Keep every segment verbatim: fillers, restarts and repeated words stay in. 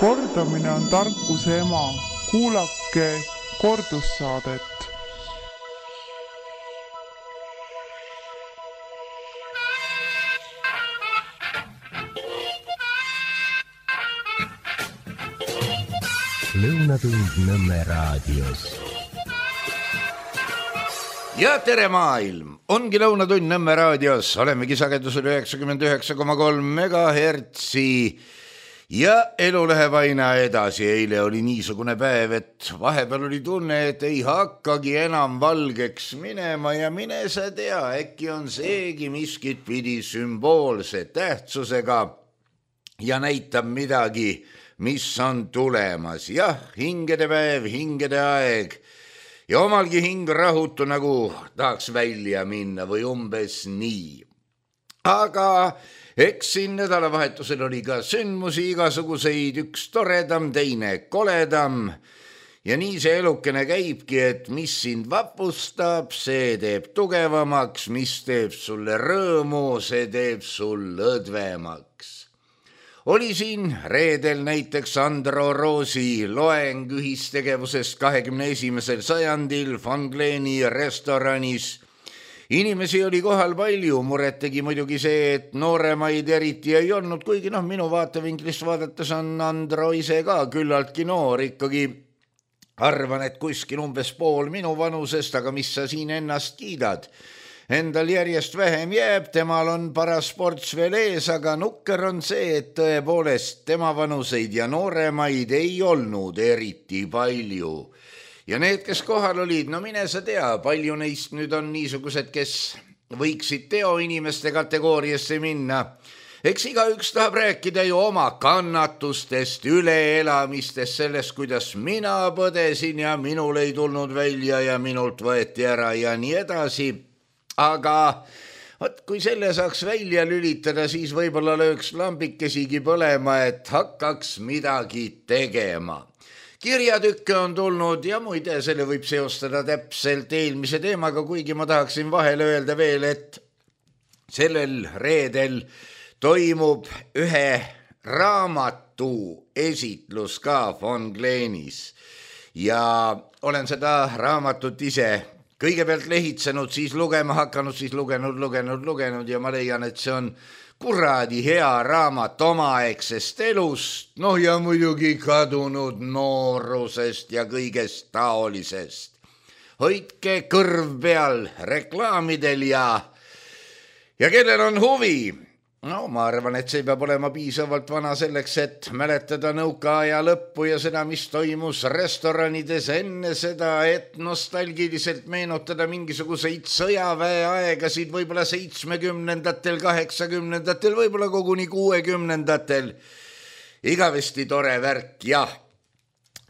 Kordamine on tarkuse ema. Kuulake kordussaadet. Lõunatund Nõmme raadios. Ja tere maailm! Ongi Lõunatund Nõmme raadios. Olemegi sagedusel üheksakümmend üheksa koma kolm megahertsi ja elu läheb aina edasi. Eile oli niisugune päev, et vahepeal oli tunne, et ei hakkagi enam valgeks minema ja mine sa tea, äkki on seegi miskit pidi sümboolse tähtsusega ja näitab midagi, mis on tulemas. Jah, hingede päev, hingede aeg ja omalgi hing rahutu, nagu tahaks välja minna või umbes nii. Aga eks siin nädalavahetusel oli ka sündmusi igasuguseid, üks toredam, teine koledam ja nii see elukene käibki, et mis sind vapustab, see teeb tugevamaks, mis teeb sulle rõõmu, see teeb sul õdvemaks. Oli siin reedel näiteks Andro Roosi loeng ühistegevusest kahekümne esimesel sajandil Von Gleni restoranis. Inimesi oli kohal palju, muret tegi muidugi see, et nooremaid eriti ei olnud, kuigi noh, minu vaatevinklist vaadates on Andro ise ka küllaltki noor, ikkagi arvan, et kuskil umbes pool minu vanusest, aga mis sa siin ennast kiidad? Endal järjest vähem jääb, temal on paras ports veel ees, aga nukker on see, et tõepoolest tema vanuseid ja nooremaid ei olnud eriti palju. Ja need, kes kohal olid, no mine sa tea, palju neist nüüd on niisugused, kes võiksid teoinimeste kategooriasse minna. Eks igaüks tahab rääkida ju oma kannatustest, üleelamistest, sellest, kuidas mina põdesin ja minul ei tulnud välja ja minult võeti ära ja nii edasi. Aga võt, kui selle saaks välja lülitada, siis võib-olla lööks lambikesigi põlema, et hakkaks midagi tegema. Kirjatükke on tulnud ja muide, selle võib seostada täpselt eelmise teemaga, kuigi ma tahaksin vahele öelda veel, et sellel reedel toimub ühe raamatu esitlus ka Von Glenis ja olen seda raamatut ise kõigepealt lehitsenud, siis lugema hakanud, siis lugenud, lugenud, lugenud ja ma leian, et see on kuradi hea raamat omaaegsest elust, noh ja muidugi kadunud noorusest ja kõigest taolisest. Hoidke kõrv peal reklaamidel ja, ja kellel on huvi. No ma arvan, et see peab olema piisavalt vana selleks, et mäletada nõukaaja lõppu ja seda, mis toimus restoranides enne seda, et nostalgiliselt meenutada mingisuguseid sõjaväe aegasid, võib-olla seitsmekümnendatel, kaheksakümnendatel, võib-olla koguni kuuekümnendatel. Igavesti tore värk, jah.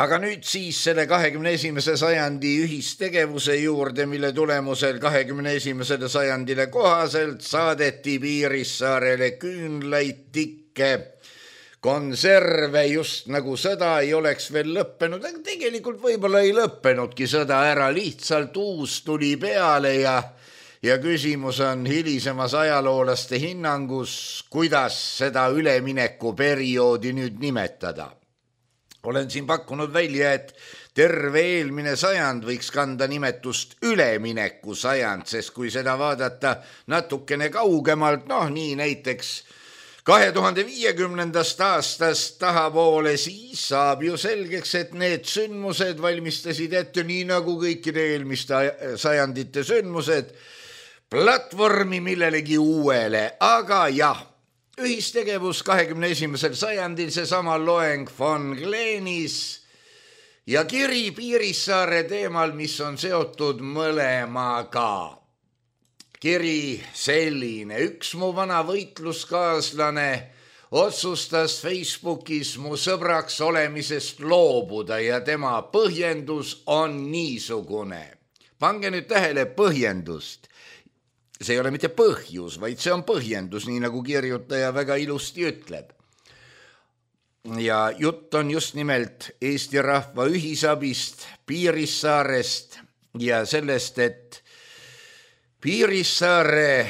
Aga nüüd siis selle kahekümne esimese sajandi ühistegevuse juurde, mille tulemusel kahekümne esimesele sajandile kohaselt saadeti Piirissaarele küünlaid, tikke, konserve, just nagu sõda ei oleks veel lõppenud, aga tegelikult võib-olla ei lõppenudki sõda ära, lihtsalt uus tuli peale ja, ja küsimus on hilisemas ajaloolaste hinnangus, kuidas seda üleminekuperioodi nüüd nimetada. Olen siin pakkunud välja, et terve eelmine sajand võiks kanda nimetust ülemineku sajand, sest kui seda vaadata natukene kaugemalt, noh nii näiteks kahe tuhande viiekümnendast aastast tahapoole, siis saab ju selgeks, et need sündmused valmistasid ette nii nagu kõikide eelmiste sajandite sündmused platvormi millelegi uuele, aga jah, ühistegevus kahekümne esimesel sajandil, seesama loeng Von Glenis ja kiri Piirissaare teemal, mis on seotud mõlemaga. Kiri selline, üks mu vana võitluskaaslane otsustas Facebookis mu sõbraks olemisest loobuda ja tema põhjendus on niisugune. Pange nüüd tähele põhjendust. See ei ole mitte põhjus, vaid see on põhjendus, nii nagu kirjutaja väga ilusti ütleb. Ja jutt on just nimelt Eesti rahva ühisabist, Piirissaarest ja sellest, et Piirissaare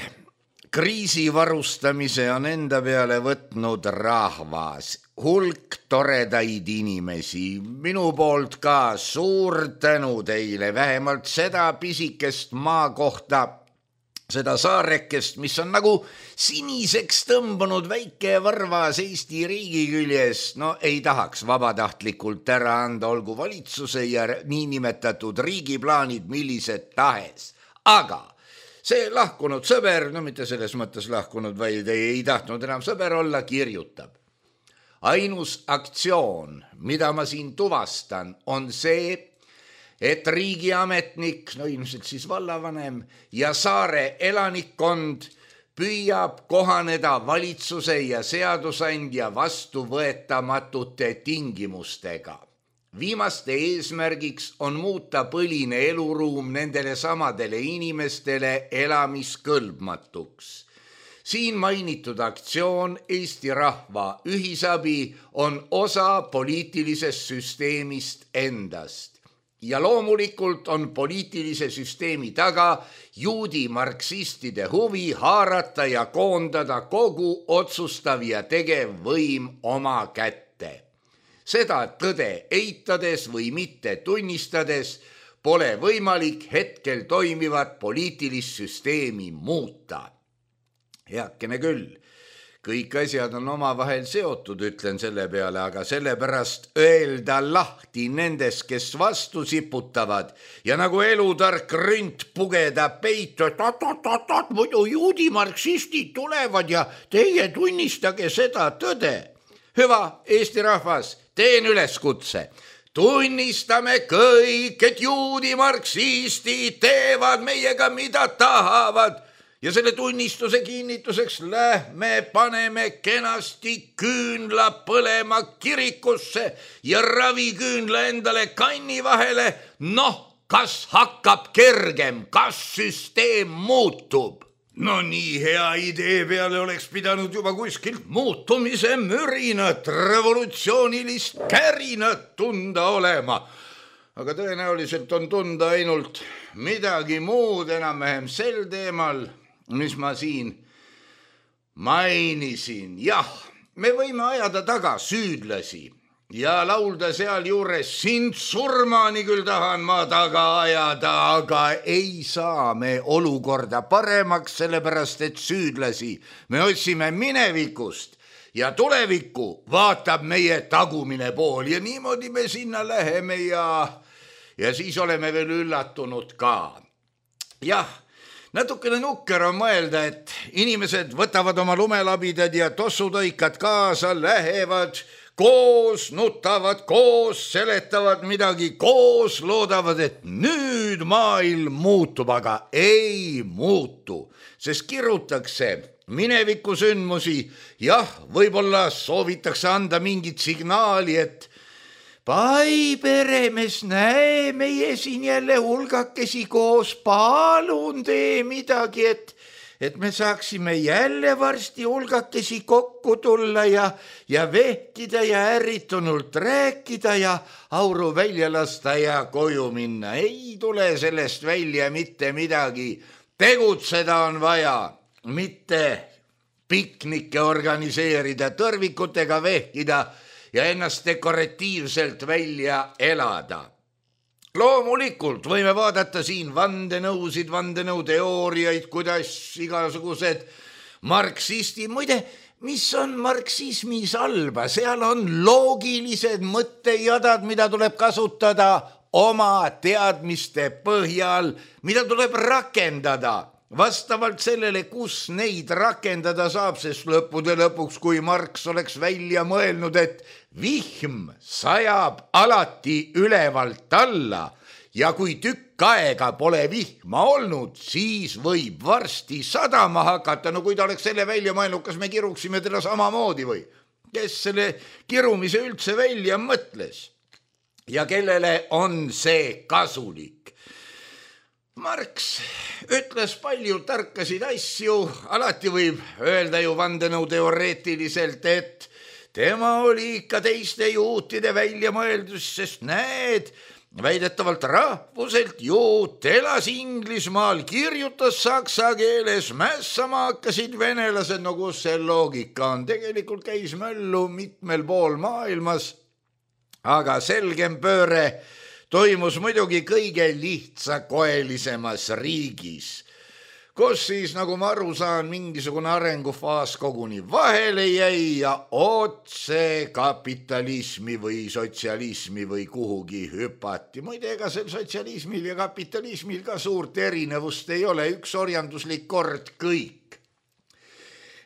kriisivarustamise on enda peale võtnud rahvas, hulk toredaid inimesi, minu poolt ka suur tänu teile, vähemalt seda pisikest maa kohta, seda saarekest, mis on nagu siniseks tõmbunud väike varvas Eesti riigi küljes, no ei tahaks vabatahtlikult ära anda, olgu valitsuse ja niinimetatud riigiplaanid millised tahes, aga see lahkunud sõber, no mitte selles mõttes lahkunud, vaid ei, ei tahtnud enam sõber olla, kirjutab. Ainus aktsioon, mida ma siin tuvastan, on see, et riigiametnik, no ilmselt siis vallavanem ja saare elanikkond püüab kohaneda valitsuse ja seadusandja vastuvõetamatute tingimustega. Viimaste eesmärgiks on muuta põline eluruum nendele samadele inimestele elamiskõlbmatuks. Siin mainitud aktsioon Eesti rahva ühisabi on osa poliitilisest süsteemist endast. Ja loomulikult on poliitilise süsteemi taga juudi marksistide huvi haarata ja koondada kogu otsustav ja tegev võim oma kätte. Seda tõde eitades või mitte tunnistades pole võimalik hetkel toimivat poliitilist süsteemi muuta. Heakene küll, kõik asjad on omavahel seotud, ütlen selle peale, aga sellepärast öelda lahti nendest, kes vastu siputavad ja nagu elutark rünt pugeda peitu, et at-at-at-at, muidu juudi marksistid tulevad ja teie tunnistage seda tõde. Hüva, Eesti rahvas, teen üleskutse. Tunnistame kõik, et juudi marksistid teevad meiega mida tahavad ja selle tunnistuse kinnituseks lähme paneme kenasti küünla põlema kirikusse ja raviküünla endale kanni vahele. Noh, kas hakkab kergem, kas süsteem muutub? No nii hea idee peale oleks pidanud juba kuskilt muutumise mürinat, revolutsioonilist kärinat tunda olema. Aga tõenäoliselt on tunda ainult midagi muud enam-vähem sel teemal, mis ma siin mainisin. Jah, me võime ajada taga süüdlasi ja laulda seal juures sind surmani küll tahan ma taga ajada, aga ei saa me olukorda paremaks, sellepärast et süüdlasi me otsime minevikust ja tulevikku vaatab meie tagumine pool ja niimoodi me sinna läheme ja, ja siis oleme veel üllatunud ka. Jah, natukene nukker on mõelda, et inimesed võtavad oma lumelabidad ja tossutõikad kaasa, lähevad koos, nutavad koos, seletavad midagi koos, loodavad, et nüüd maailm muutub, aga ei muutu, sest kirutakse minevikusündmusi. Jah, võib-olla soovitakse anda mingit signaali, et pai peremees, näe meie siin jälle hulgakesi koos, palun tee midagi, et et me saaksime jälle varsti hulgakesi kokku tulla ja, ja vehkida ja ärritunult rääkida ja auru välja lasta ja koju minna. Ei tule sellest välja mitte midagi. Tegutseda on vaja, mitte piknikke organiseerida, tõrvikutega vehkida ja ennast dekoratiivselt välja elada. Loomulikult võime vaadata siin vandenõusid, vandenõuteooriaid, kuidas igasugused marksistid, muide, mis on marksismis halba, seal on loogilised mõttejadad, mida tuleb kasutada oma teadmiste põhjal, mida tuleb rakendada vastavalt sellele, kus neid rakendada saab, sest lõppude lõpuks, kui Marx oleks välja mõelnud, et vihm sajab alati ülevalt alla ja kui tükk aega pole vihma olnud, siis võib varsti sadama hakata. No kui ta oleks selle välja mõelnud, kas me kiruksime teda samamoodi või? Kes selle kirumise üldse välja mõtles? Ja kellele on see kasulik? Marx ütles palju tarkasid asju, alati võib öelda ju vandenõu teoreetiliselt, et tema oli ikka teiste juutide välja mõeldus, sest näed, väidetavalt rahvuselt juut, elas Inglismaal, kirjutas saksa keeles, mässama hakkasid venelased, no kus see loogika on, tegelikult käis möllu mitmel pool maailmas, aga selgem pööre toimus muidugi kõige lihtsakoelisemas riigis, kus siis, nagu ma aru saan, mingisugune arengufaas koguni vahele jäi ja otse kapitalismi või sotsialismi või kuhugi hüpati. Muide, ega sel sotsialismil ja kapitalismil ka suurt erinevust ei ole, üks orjanduslik kord kõik.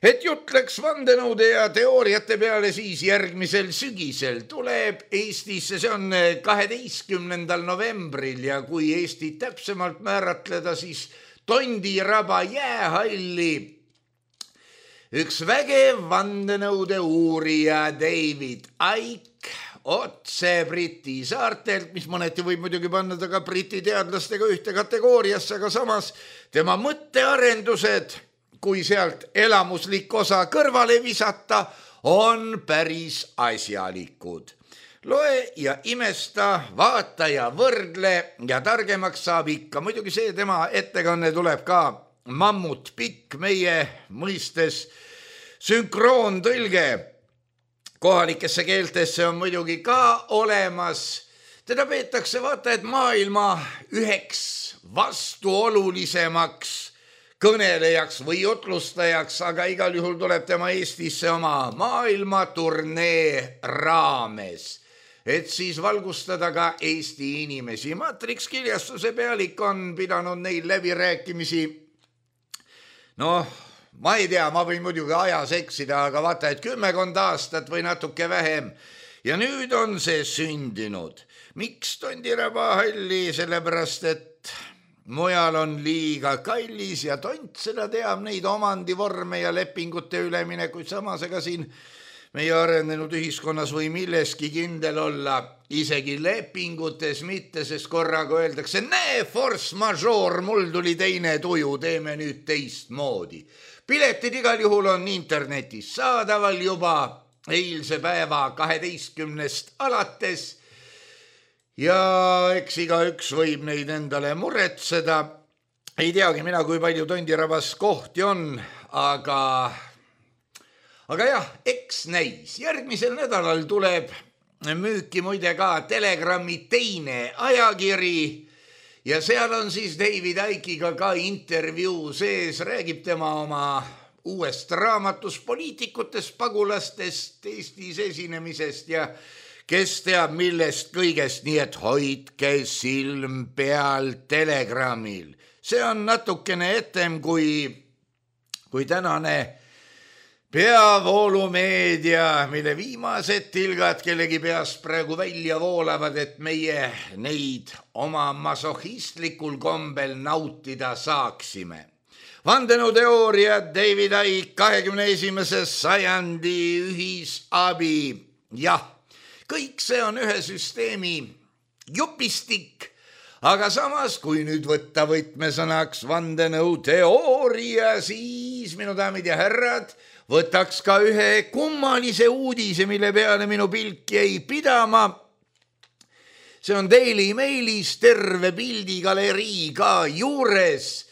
Et jutt läks vandenõude ja teooriate peale, siis järgmisel sügisel tuleb Eestisse, see on kaheteistkümnendal novembril ja kui Eestit täpsemalt määratleda, siis Tondiraba jäähalli üks vägev vandenõude uurija David Icke otse Briti saartelt, mis mõneti võib muidugi panna ta ka Briti teadlastega ühte kategooriasse, aga samas tema mõttearendused, kui sealt elamuslik osa kõrvale visata, on päris asjalikud. Loe ja imesta, vaata ja võrdle ja targemaks saab ikka. Muidugi see tema ettekanne tuleb ka mammut pikk meie mõistes. Sünkroontõlge kohalikesse keeltesse on muidugi ka olemas. Teda peetakse vaata, et maailma üheks vastuolulisemaks kõnelejaks või jutlustajaks, aga igal juhul tuleb tema Eestisse oma maailmaturnee raames, et siis valgustada ka Eesti inimesi. Matrix Kiljastuse pealik on pidanud neil läbirääkimisi. Noh, ma ei tea, ma võin muidugi ajas eksida, aga vaata, et kümmekond aastat või natuke vähem. Ja nüüd on see sündinud. Miks Tondiraba halli? Sellepärast, et mujal on liiga kallis ja Tont seda teab, neid omandivorme ja lepingute üleminekuid, samas ega siin meie arenenud ühiskonnas või milleski kindel olla, isegi lepingutes mitte, sest korraga öeldakse, näe, force majeure, mul tuli teine tuju, teeme nüüd teistmoodi. Piletid igal juhul on internetis saadaval juba eilse päeva kaheteistkümnest alates ja eks igaüks võib neid endale muretseda. Ei teagi mina, kui palju Tondirabas kohti on, aga... Aga jah, eks näis. Järgmisel nädalal tuleb müüki muide ka Telegrami teine ajakiri ja seal on siis David Ickiga ka intervjuu sees, räägib tema oma uuest raamatust, poliitikutest, pagulastest, Eestis esinemisest ja kes teab millest kõigest, nii et hoidke silm peal Telegramil. See on natukene etem kui, kui tänane peavoolumeedia, mille viimased tilgad kellegi peast praegu välja voolavad, et meie neid oma masohistlikul kombel nautida saaksime. Vandenõuteooria David Icke, kahekümne esimese sajandi ühisabi. Jah, kõik see on ühe süsteemi jupistik, aga samas, kui nüüd võtta võtmesõnaks vandenõuteooria, siis minu daamid ja härrad, võtaks ka ühe kummalise uudise, mille peale minu pilk jäi pidama. See on Daily Mailis terve pildigalerii ka juures.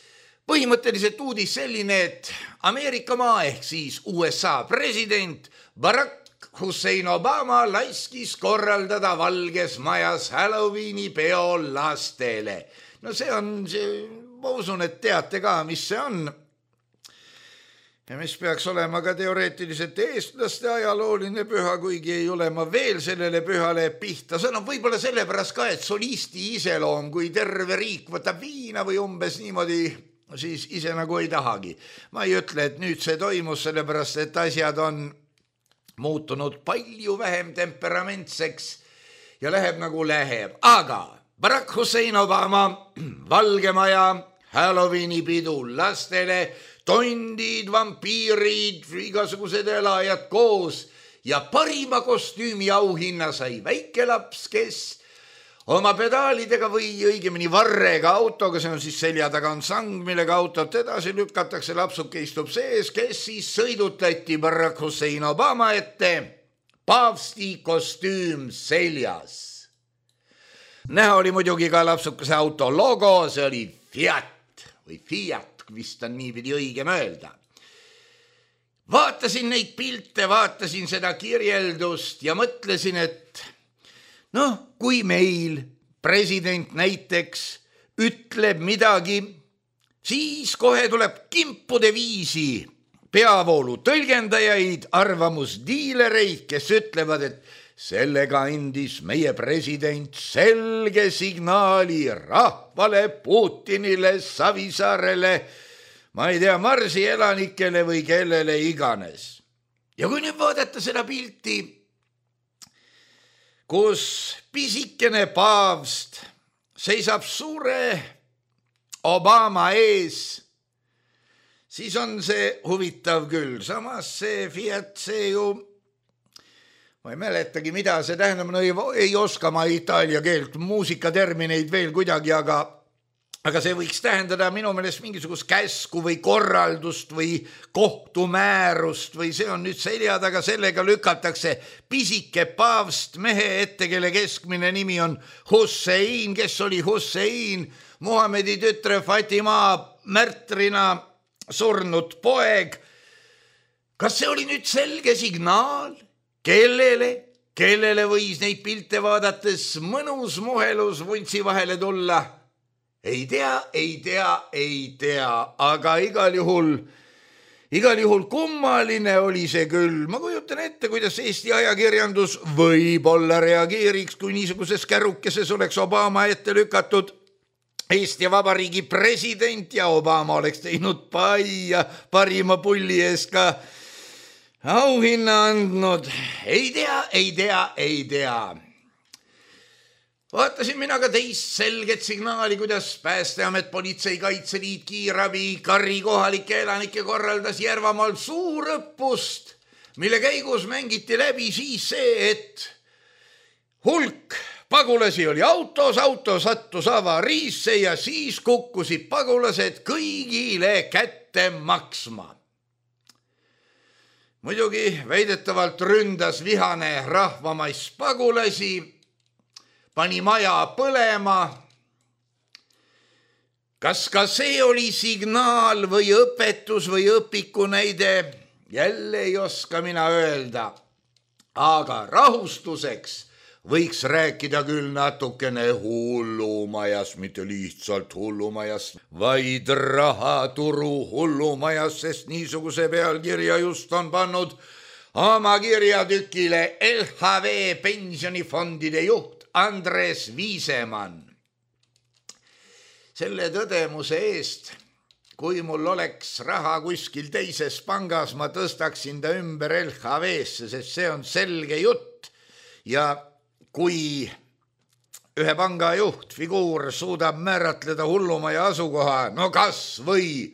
Põhimõtteliselt uudis selline, et Ameerika maa ehk siis U S A president Barack Hussein Obama laiskis korraldada Valges Majas Halloweeni peo lastele. No see on, see, ma usun, et teate ka, mis see on. Ja mis peaks olema ka teoreetiliselt eestlaste ajalooline püha, kuigi ei ole ma veel sellele pühale pihta. See on võib-olla sellepärast ka, et solisti iseloom, kui terve riik võtab viina või umbes niimoodi, siis ise nagu ei tahagi. Ma ei ütle, et nüüd see toimus, sellepärast et asjad on muutunud palju vähem temperamentseks ja läheb nagu läheb. Aga Barack Hussein Obama, Valge Maja, Halloweeni pidu lastele, tondid, vampiirid, igasugused elajad koos ja parima kostüümi auhinna sai väikelaps, kes oma pedaalidega või õigemini varrega autoga, see on siis selja taga on sang, millega autot edasi lükatakse, lapsuke istub sees, kes siis sõidutati Barack Hussein Obama ette, paavsti kostüüm seljas. näha oli muidugi ka lapsukese auto logo, see oli Fiat või Fiat, vist on niipidi õigem öelda. Vaatasin neid pilte, vaatasin seda kirjeldust ja mõtlesin, et noh, kui meil president näiteks ütleb midagi, siis kohe tuleb kimpude viisi peavoolu tõlgendajaid, arvamusdiilereid, kes ütlevad, et sellega andis meie president selge signaali rahvale, Putinile, Savisaarele, ma ei tea, Marsi elanikele või kellele iganes. Ja kui nüüd vaadata seda pilti, kus pisikene paavst seisab suure Obama ees, siis on see huvitav küll. Samas see Fiat, see ju, ma ei mäletagi, mida see tähendab, no ei, ei oska ma itaalia keelt, muusikatermineid veel kuidagi, aga aga see võiks tähendada minu meelest mingisugust käsku või korraldust või kohtumäärust või see on nüüd selja taga, sellega lükatakse pisike paavst mehe ette, kelle keskmine nimi on Hussein, kes oli Hussein, Muhamedi tütre Fatima märtrina surnud poeg. Kas see oli nüüd selge signaal? Kellele? Kellele võis neid pilte vaadates mõnus muhelus vuntsi vahele tulla? Ei tea, ei tea, ei tea, aga igal juhul, igal juhul kummaline oli see küll. Ma kujutan ette, kuidas Eesti ajakirjandus võib-olla reageeriks, kui niisuguses kärukeses oleks Obama ette lükatud Eesti Vabariigi president ja Obama oleks teinud pai ja parima pulli ees ka auhinna andnud. Ei tea, ei tea, ei tea. Vaatasin mina ka teist selget signaali, kuidas Päästeamet, Politsei, Kaitseliit, Kiirabi, Karri kohalike elanike korraldas Järvamaal suurõppust, mille käigus mängiti läbi siis see, et hulk pagulasi oli autos, auto sattus avariisse ja siis kukkusid pagulased kõigile kätte maksma. Muidugi väidetavalt ründas vihane rahvamais pagulasi, pani maja põlema. Kas ka see oli signaal või õpetus või õpiku näide? Jälle ei oska mina öelda. Aga rahustuseks võiks rääkida küll natukene hullumajas, mitte lihtsalt hullumajas, vaid rahaturu hullumajas, sest niisuguse pealkirja just on pannud oma kirjatükile L H V pensionifondide juht Andres Viisemann. Selle tõdemuse eest, kui mul oleks raha kuskil teises pangas, ma tõstaksin ta ümber L H V-sse, sest see on selge jutt. Ja kui ühe panga juht, figuur suudab määratleda hullumaja asukoha, no kas või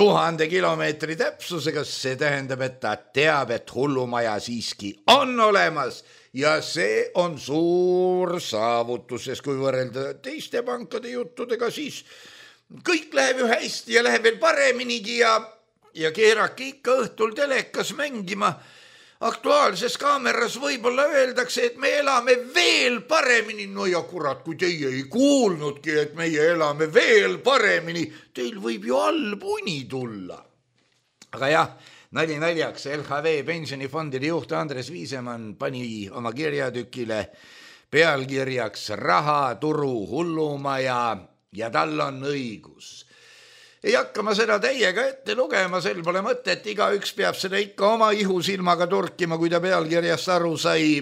tuhande kilomeetri täpsusega, see tähendab, et ta teab, et hullumaja siiski on olemas. Ja see on suur saavutus, sest kui võrrelda teiste pankade juttudega, siis kõik läheb ju hästi ja läheb veel pareminigi ja, ja keerake ikka õhtul telekas mängima. Aktuaalses kaameras võib-olla öeldakse, et me elame veel paremini. No ja kurat, kui teie ei kuulnudki, et meie elame veel paremini, teil võib ju allpuni tulla. Aga jah, nali naljaks, L H V pensionifondide juht Andres Viisemann pani oma kirjatükile pealkirjaks rahaturu hullumaja ja tal on õigus. Ei hakka ma seda teiega ette lugema, sel pole mõtet, igaüks peab seda ikka oma ihusilmaga turkima, kui ta pealkirjast aru sai.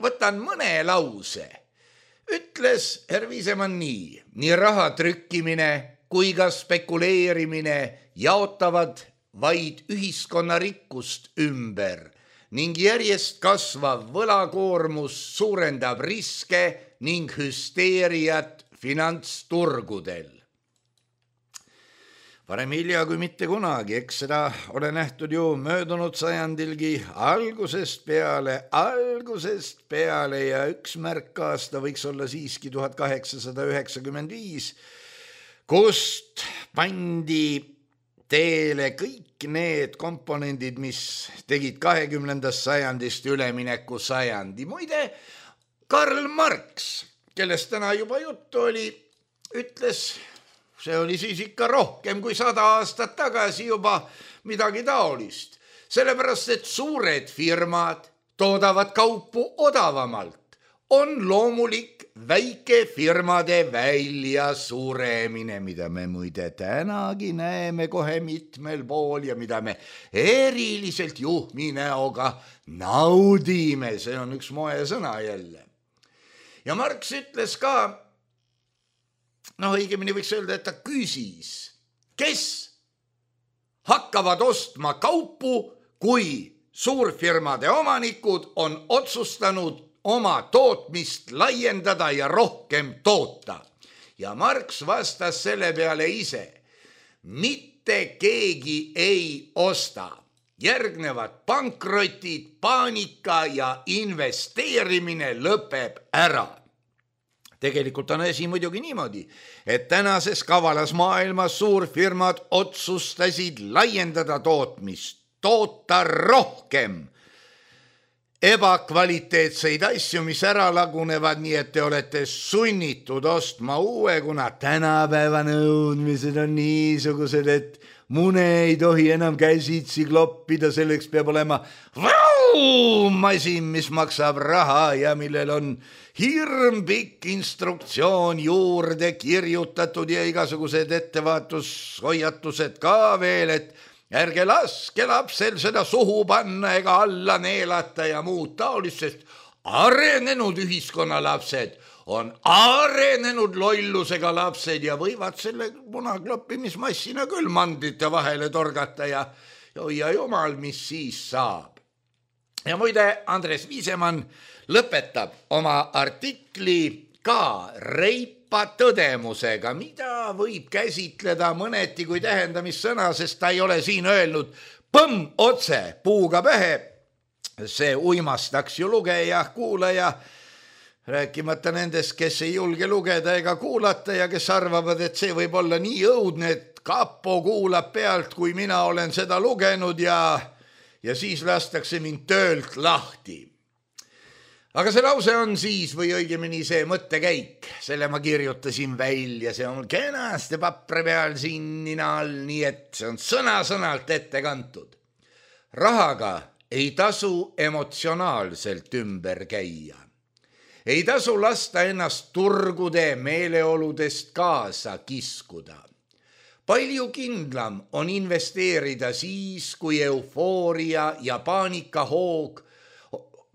Võtan mõne lause. Ütles herr Viisemann nii, nii raha trükkimine kui ka spekuleerimine jaotavad vaid ühiskonna rikkust ümber ning järjest kasvav võlakoormus suurendab riske ning hüsteeriat finantsturgudel. Varem hilja kui mitte kunagi, eks seda ole nähtud ju möödunud sajandilgi algusest peale, algusest peale ja üks märkaasta võiks olla siiski tuhat kaheksasada üheksakümmend viis, kust pandi teele kõik need komponendid, mis tegid kahekümnendast sajandist ülemineku sajandi. Muide, Karl Marx, kellest täna juba juttu oli, ütles, see oli siis ikka rohkem kui sada aastat tagasi juba midagi taolist, sellepärast et suured firmad toodavad kaupu odavamalt. On loomulik väikefirmade välja suremine, mida me muide tänagi näeme kohe mitmel pool ja mida me eriliselt juhmi näoga naudime. See on üks moesõna jälle. Ja Marx ütles ka, noh õigemini võiks öelda, et ta küsis, kes hakkavad ostma kaupu, kui suurfirmade omanikud on otsustanud oma tootmist laiendada ja rohkem toota. Ja Marx vastas selle peale ise, mitte keegi ei osta. Järgnevad pankrotid, paanika ja investeerimine lõpeb ära. Tegelikult on asi muidugi niimoodi, et tänases kavalas maailmas suurfirmad otsustasid laiendada tootmist, toota rohkem ebakvaliteetseid asju, mis ära lagunevad, nii et te olete sunnitud ostma uue, kuna tänapäeva nõudmised on niisugused, et mune ei tohi enam käsitsi kloppida, selleks peab olema masin, mis maksab raha ja millel on hirm pikk instruktsioon juurde kirjutatud ja igasugused ettevaatushoiatused ka veel, et ärge laske lapsel seda suhu panna ega alla neelata ja muud taolist, sest arenenud ühiskonna lapsed on arenenud lollusega lapsed ja võivad selle munakloppimismassina küll mandrite vahele torgata ja ja jumal, mis siis saab. Ja muide, Andres Viisemann lõpetab oma artikli ka reipa tõdemusega, mida võib käsitleda mõneti kui tähendamissõna, sest ta ei ole siin öelnud põmm otse puuga pähe. See uimastaks ju lugeja, kuulaja, rääkimata nendest, kes ei julge lugeda ega kuulata ja kes arvavad, et see võib olla nii õudne, et kapo kuulab pealt, kui mina olen seda lugenud ja, ja siis lastakse mind töölt lahti. Aga see lause on siis, või õigemini see mõttekäik, selle ma kirjutasin välja, see on kenasti papre peal siin nina all, nii et see on sõna-sõnalt ette kantud. Rahaga ei tasu emotsionaalselt ümber käia. Ei tasu lasta ennast turgude meeleoludest kaasa kiskuda. Palju kindlam on investeerida siis, kui eufooria ja paanikahoog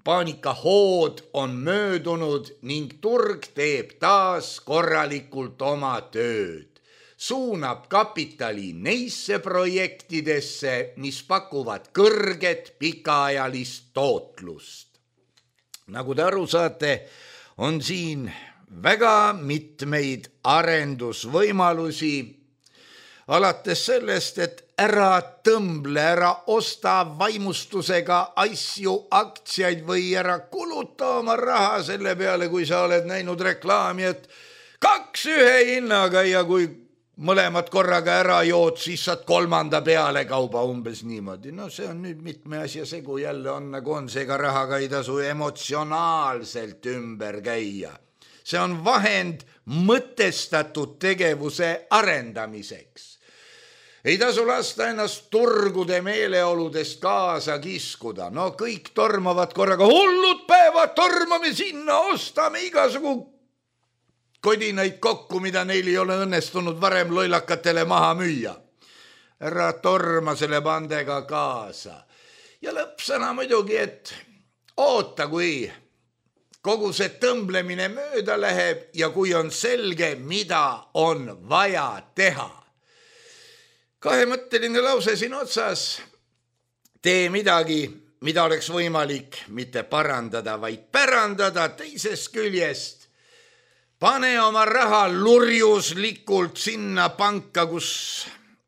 Paanikahood on möödunud ning turg teeb taas korralikult oma tööd. Suunab kapitali neisse projektidesse, mis pakuvad kõrget pikaajalist tootlust. Nagu te aru saate, on siin väga mitmeid arendusvõimalusi, alates sellest, et ära tõmble, ära osta vaimustusega asju, aktsiaid või ära kuluta oma raha selle peale, kui sa oled näinud reklaami, et kaks ühe hinnaga ja kui mõlemad korraga ära jood, siis saad kolmanda peale kauba umbes niimoodi. No see on nüüd mitme asja segu jälle on nagu on, seega rahaga ei tasu emotsionaalselt ümber käia. See on vahend mõtestatud tegevuse arendamiseks. Ei tasu lasta ennast turgude meeleoludest kaasa kiskuda. No kõik tormavad korraga, hullud päevad, tormame sinna, ostame igasugu kodinaid kokku, mida neil ei ole õnnestunud varem loilakatele maha müüa. Ära torma selle bandega kaasa. Ja lõppsõna muidugi, et oota, kui kogu see tõmblemine mööda läheb ja kui on selge, mida on vaja teha. Kahemõtteline lause siin otsas. Tee midagi, mida oleks võimalik mitte parandada, vaid pärandada teisest küljest. Pane oma raha lurjuslikult sinna panka, kus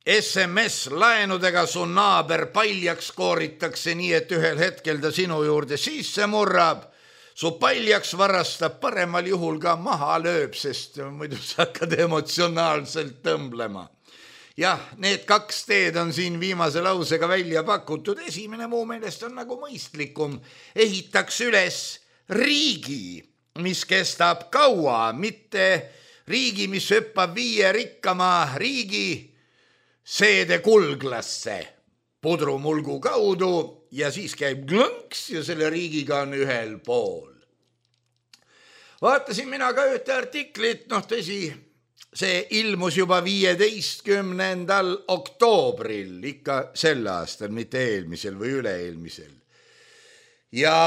S M S-laenudega su naaber paljaks kooritakse nii, et ühel hetkel ta sinu juurde sisse murrab. Su paljaks varastab, paremal juhul ka maha lööb, sest muidu sa hakkad emotsionaalselt tõmblema. Jah, need kaks teed on siin viimase lausega välja pakutud. Esimene muu meelest on nagu mõistlikum. Ehitaks üles riigi mis kestab kaua, mitte riigi, mis hüppab viie rikkama riigi seede kulglasse pudrumulgu kaudu ja siis käib glõnks ja selle riigiga on ühel pool. Vaatasin mina ka ühte artiklit, noh tõsi, see ilmus juba viieteistkümnendal oktoobril, ikka sel aastal, mitte eelmisel või üle-eelmisel. Ja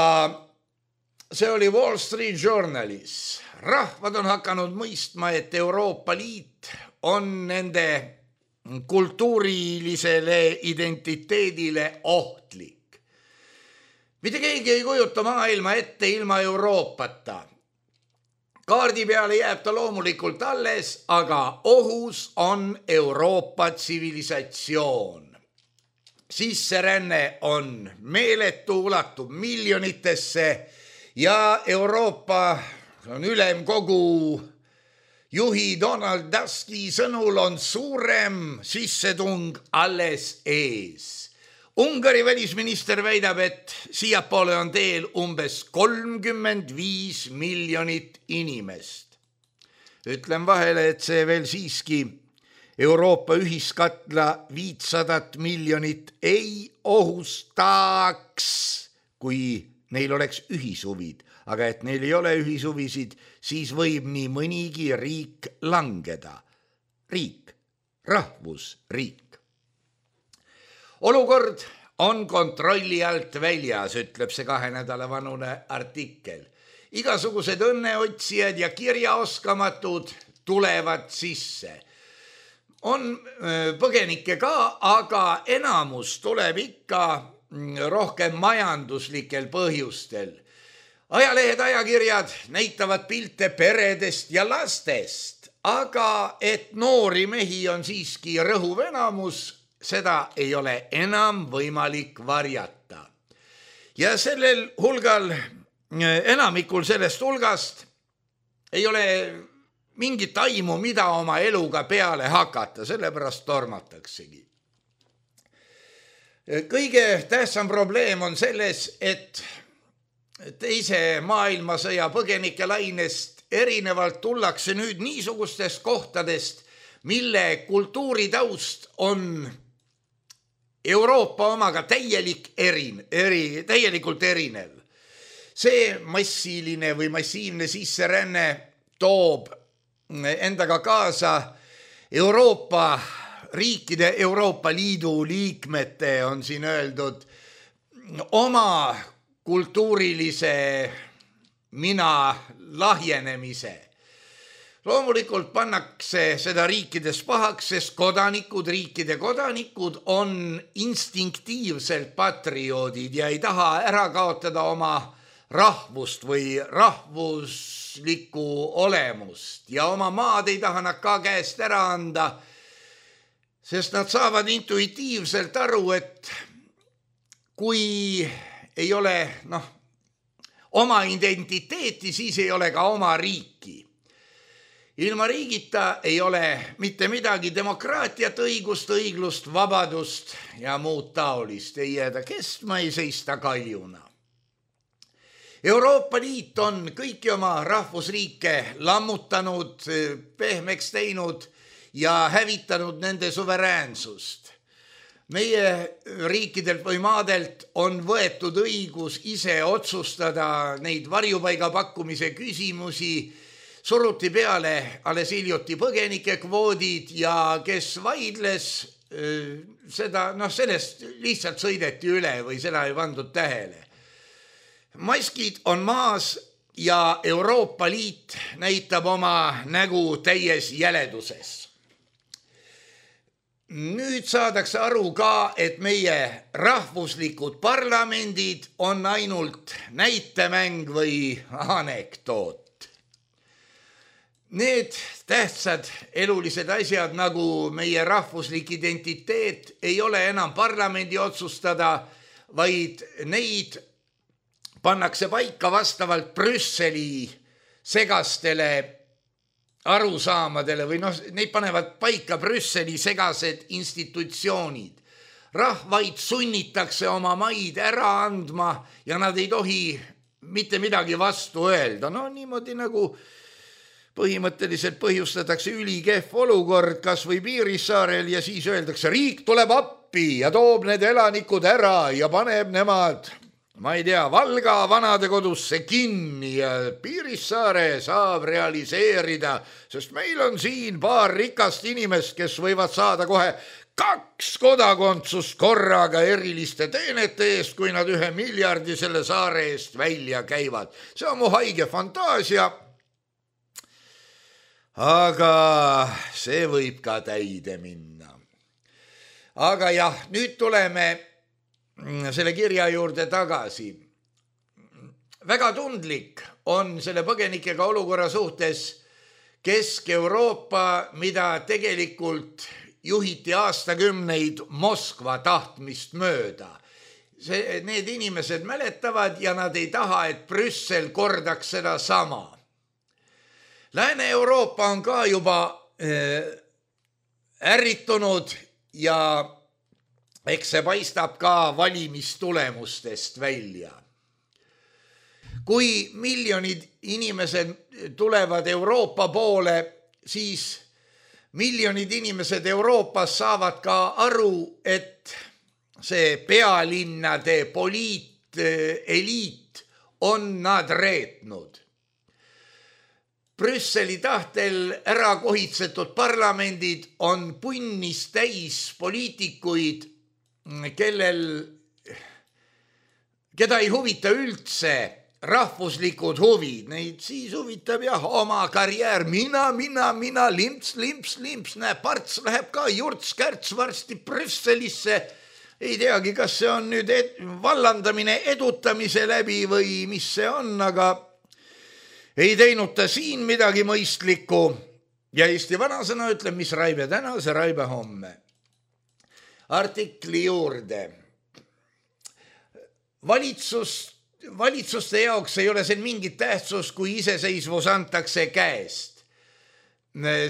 see oli Wall Street Journalis. Rahvad on hakanud mõistma, et Euroopa Liit on nende kultuurilisele identiteedile ohtlik. Mitte keegi ei kujuta maailma ette ilma Euroopata. Kaardi peale jääb ta loomulikult alles, aga ohus on Euroopa tsivilisatsioon. Sisseränne on meeletu, ulatub miljonitesse ja Euroopa on ülemkogu juhi Donald Tuski sõnul on suurem sissetung alles ees. Ungari välisminister väidab, et siiapoole on teel umbes kolmkümmend viis miljonit inimest. Ütlen vahele, et see veel siiski Euroopa ühiskatla viitsadat miljonit ei ohustaks, kui neil oleks ühishuvid, aga et neil ei ole ühishuvisid, siis võib nii mõnigi riik langeda. Riik, rahvusriik. Olukord on kontrolli alt väljas, ütleb see kahe nädala vanune artikkel. Igasugused õnneotsijad ja kirjaoskamatud tulevad sisse. On põgenikke ka, aga enamus tuleb ikka rohkem majanduslikel põhjustel. Ajalehed, ajakirjad näitavad pilte peredest ja lastest, aga et noori mehi on siiski rõhuv enamus, seda ei ole enam võimalik varjata. Ja sellel hulgal, enamikul sellest hulgast ei ole mingit aimu, mida oma eluga peale hakata, sellepärast tormataksegi. Kõige tähtsam probleem on selles, et teise maailmasõja põgenike lainest erinevalt tullakse nüüd niisugustest kohtadest, mille kultuuritaust on Euroopa omaga täielik erin, eri, täielikult erinev. See massiline või massiivne sisseränne toob endaga kaasa Euroopa riikide, Euroopa Liidu liikmete, on siin öeldud, oma kultuurilise mina lahjenemise. Loomulikult pannakse seda riikides pahaks, sest kodanikud, riikide kodanikud on instinktiivselt patrioodid ja ei taha ära kaotada oma rahvust või rahvuslikku olemust ja oma maad ei taha nad ka käest ära anda, sest nad saavad intuitiivselt aru, et kui ei ole noh, oma identiteeti, siis ei ole ka oma riiki. Ilma riigita ei ole mitte midagi demokraatiat, õigust, õiglust, vabadust ja muud taolist. Ei jääda kestma, ei seista kaljuna. Euroopa Liit on kõiki oma rahvusriike lammutanud, pehmeks teinud ja hävitanud nende suveräänsust. Meie riikidelt või maadelt on võetud õigus ise otsustada neid varjupaiga pakkumise küsimusi, suruti peale alles hiljuti põgenike kvoodid ja kes vaidles, seda, noh, sellest lihtsalt sõideti üle või seda ei pandud tähele. Maskid on maas ja Euroopa Liit näitab oma nägu täies jäleduses. Nüüd saadakse aru ka, et meie rahvuslikud parlamendid on ainult näitemäng või anekdoot. Need tähtsad elulised asjad nagu meie rahvuslik identiteet ei ole enam parlamendi otsustada, vaid neid pannakse paika vastavalt Brüsseli segastele arusaamadele või noh, neid panevad paika Brüsseli segased institutsioonid. Rahvaid sunnitakse oma maid ära andma ja nad ei tohi mitte midagi vastu öelda. No niimoodi nagu põhimõtteliselt põhjustatakse ülikehv olukord kas või Piirissaarel ja siis öeldakse, riik tuleb appi ja toob need elanikud ära ja paneb nemad, ma ei tea, Valga vanadekodusse kinni ja Piirissaare saab realiseerida, sest meil on siin paar rikast inimest, kes võivad saada kohe kaks kodakondsust korraga eriliste teenete eest, kui nad ühe miljardi selle saare eest välja käivad. See on mu haige fantaasia. Aga see võib ka täide minna. Aga jah, nüüd tuleme selle kirja juurde tagasi. Väga tundlik on selle põgenikega olukorra suhtes Kesk-Euroopa, mida tegelikult juhiti aastakümneid Moskva tahtmist mööda. See, need inimesed mäletavad ja nad ei taha, et Brüssel kordaks seda sama. Lääne-Euroopa on ka juba ärritunud ja eks see paistab ka valimistulemustest välja. Kui miljonid inimesed tulevad Euroopa poole, siis miljonid inimesed Euroopas saavad ka aru, et see pealinnade poliiteliit on nad reetnud. Brüsseli tahtel ära kohitsetud parlamendid on punnis täis poliitikuid, kellel, keda ei huvita üldse rahvuslikud huvid. Neid siis huvitab jah oma karjäär. Mina, mina, mina, limps, limps, limps. Näe, parts läheb ka jurts-kärts varsti Brüsselisse. Ei teagi, kas see on nüüd ed- vallandamine edutamise läbi või mis see on, aga ei teinud ta siin midagi mõistlikku ja Eesti vanasõna ütleb, mis raibe täna, see raibe homme. Artikli juurde. Valitsus, valitsuste jaoks ei ole see mingit tähtsus, kui iseseisvus antakse käest.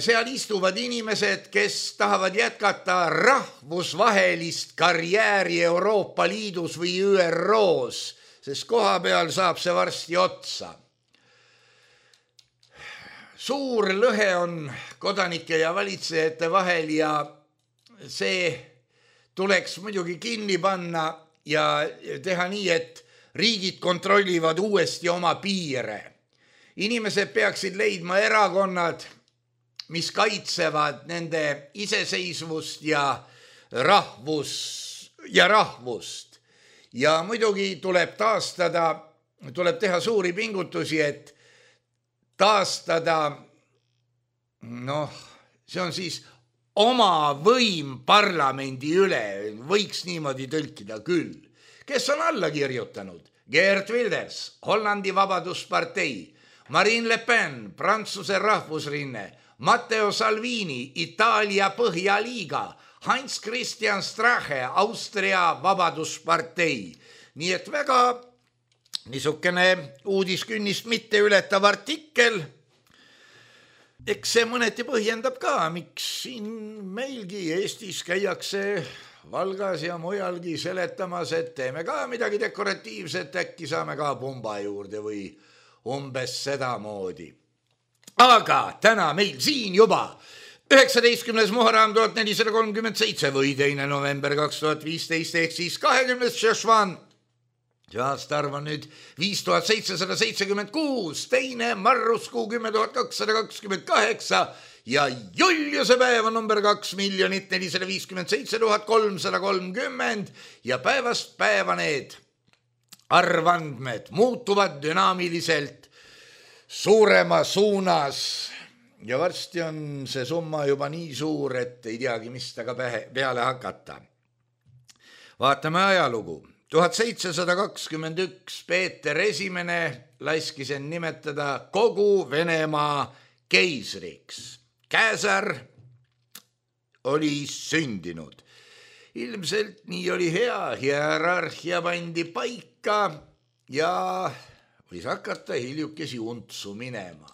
Seal istuvad inimesed, kes tahavad jätkata rahvusvahelist karjääri Euroopa Liidus või Ü R O-s, sest koha peal saab see varsti otsa. Suur lõhe on kodanike ja valitsejate vahel ja see tuleks muidugi kinni panna ja teha nii, et riigid kontrollivad uuesti oma piire. Inimesed peaksid leidma erakonnad, mis kaitsevad nende iseseisvust ja, rahvus, ja rahvust. Ja muidugi tuleb taastada, tuleb teha suuri pingutusi, et taastada, noh, see on siis oma võim parlamendi üle, võiks niimoodi tõlkida küll. Kes on alla kirjutanud? Geert Wilders, Hollandi Vabaduspartei, Marine Le Pen, Prantsuse Rahvusrinne, Matteo Salvini, Itaalia Põhjaliiga, Heinz Christian Strache, Austria Vabaduspartei. Nii et väga niisugune uudiskünnist mitte ületav artikkel. Eks see mõneti põhjendab ka, miks siin meilgi Eestis käiakse Valgas ja mujalgi seletamas, et teeme ka midagi dekoratiivset, äkki saame ka pumba juurde või umbes sedamoodi. Aga täna meil siin juba üheksateistkümnes Muharram tuhat nelisada kolmkümmend seitse või teine november kaks tuhat viisteist ehk siis kahekümnes Šešvan. See aastaarv on nüüd viis tuhat seitsesada seitsekümmend kuus, teine marruskuu kümme tuhat kakssada kakskümmend kaheksa ja Juliuse päev on number kaks miljonit nelisada viiskümmend seitse tuhat kolmsada kolmkümmend ja päevast päeva need arvandmed muutuvad dünaamiliselt suurema suunas ja varsti on see summa juba nii suur, et ei teagi, mis taga peale hakata. Vaatame ajalugu. tuhat seitsesada kakskümmend üks Peeter Esimene laskis end nimetada kogu Venemaa keisriks. Käsar oli sündinud. Ilmselt nii oli hea, hierarhia pandi paika ja võis hakata hiljukesi untsu minema.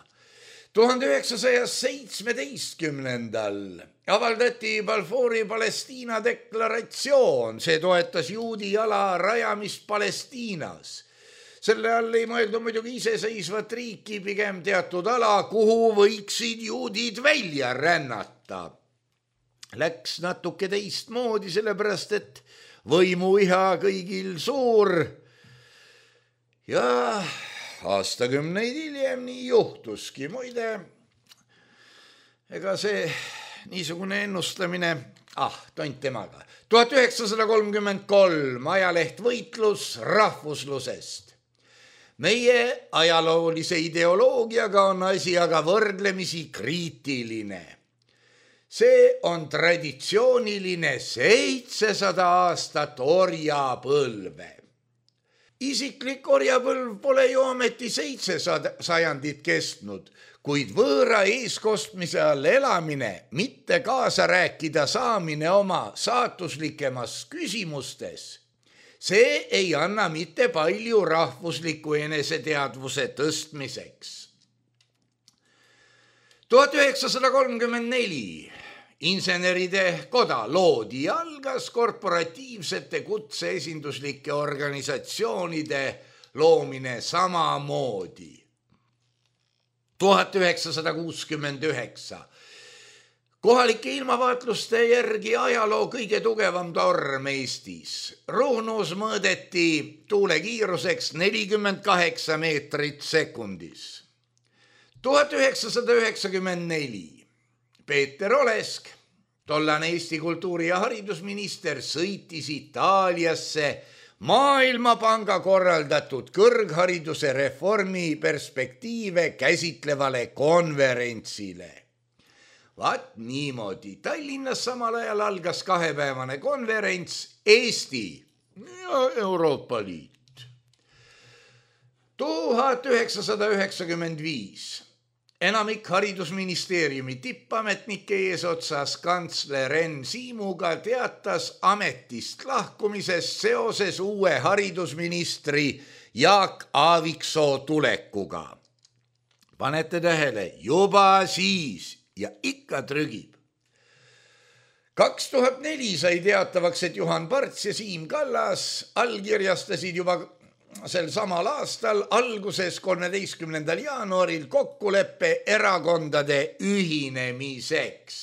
tuhande üheksasaja seitsmeteistkümnendal avaldati Balfouri Palestiina deklaratsioon, see toetas juudi ala rajamist Palestiinas. Selle all ei mõelda muidugi iseseisvat riiki, pigem teatud ala, kuhu võiksid juudid välja rännata. Läks natuke teistmoodi, sellepärast et võimuiha kõigil suur. Ja aastakümneid hiljem nii juhtuski. Muide, ega see niisugune ennustamine, ah, tont temaga. tuhat üheksasada kolmkümmend kolm ajaleht Võitlus rahvuslusest. Meie ajaloolise ideoloogiaga on asi aga võrdlemisi kriitiline. See on traditsiooniline seitsesada aastat orjapõlve. Isiklik orjapõlv pole ju ameti seitsesada sajandit kestnud, kuid võõra eeskostmise all elamine, mitte kaasa rääkida saamine oma saatuslikemas küsimustes, see ei anna mitte palju rahvusliku eneseteadvuse tõstmiseks. tuhat üheksasada kolmkümmend neli inseneride koda loodi ja algas korporatiivsete kutseesinduslike organisatsioonide loomine samamoodi. tuhat üheksasada kuuskümmend üheksa kohalike ilmavaatluste järgi ajaloo kõige tugevam torm Eestis. Ruhnus mõõdeti tuulekiiruseks nelikümmend kaheksa meetrit sekundis. tuhat üheksasada üheksakümmend neli Peeter Olesk, tollane Eesti kultuuri- ja haridusminister, sõitis Itaaliasse Maailmapanga korraldatud kõrghariduse reformi perspektiive käsitlevale konverentsile. Vaat niimoodi. Tallinnas samal ajal algas kahepäevane konverents Eesti ja Euroopa Liit. tuhat üheksasada üheksakümmend viis enamik haridusministeeriumi tippametnike eesotsas kantsler Enn Siimuga teatas ametist lahkumisest seoses uue haridusministri Jaak Aaviksoo tulekuga. Panete tähele, juba siis ja ikka trügib. kaks tuhat neli sai teatavaks, et Juhan Parts ja Siim Kallas allkirjastasid juba sel samal aastal alguses kolmeteistkümnendal jaanuaril kokkuleppe erakondade ühinemiseks.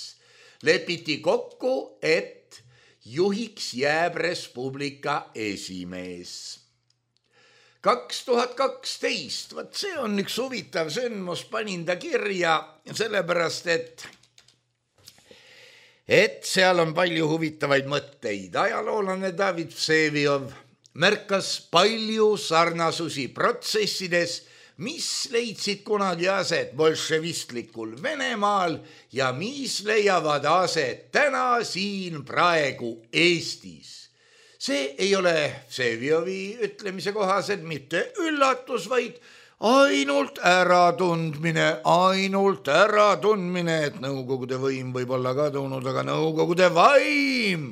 Lepiti kokku, et juhiks jääb Res Publica esimees. kaks tuhat kaksteist, vaat see on üks huvitav sündmus, panin ta kirja sellepärast, et et seal on palju huvitavaid mõtteid. Ajaloolane David Vseviov märkas palju sarnasusi protsessides, mis leidsid kunagi aset bolševistlikul Venemaal ja mis leiavad aset täna siin praegu Eestis. See ei ole Vseviovi ütlemise kohaselt mitte üllatus, vaid ainult äratundmine, ainult äratundmine, et Nõukogude võim võib olla kadunud, aga Nõukogude vaim.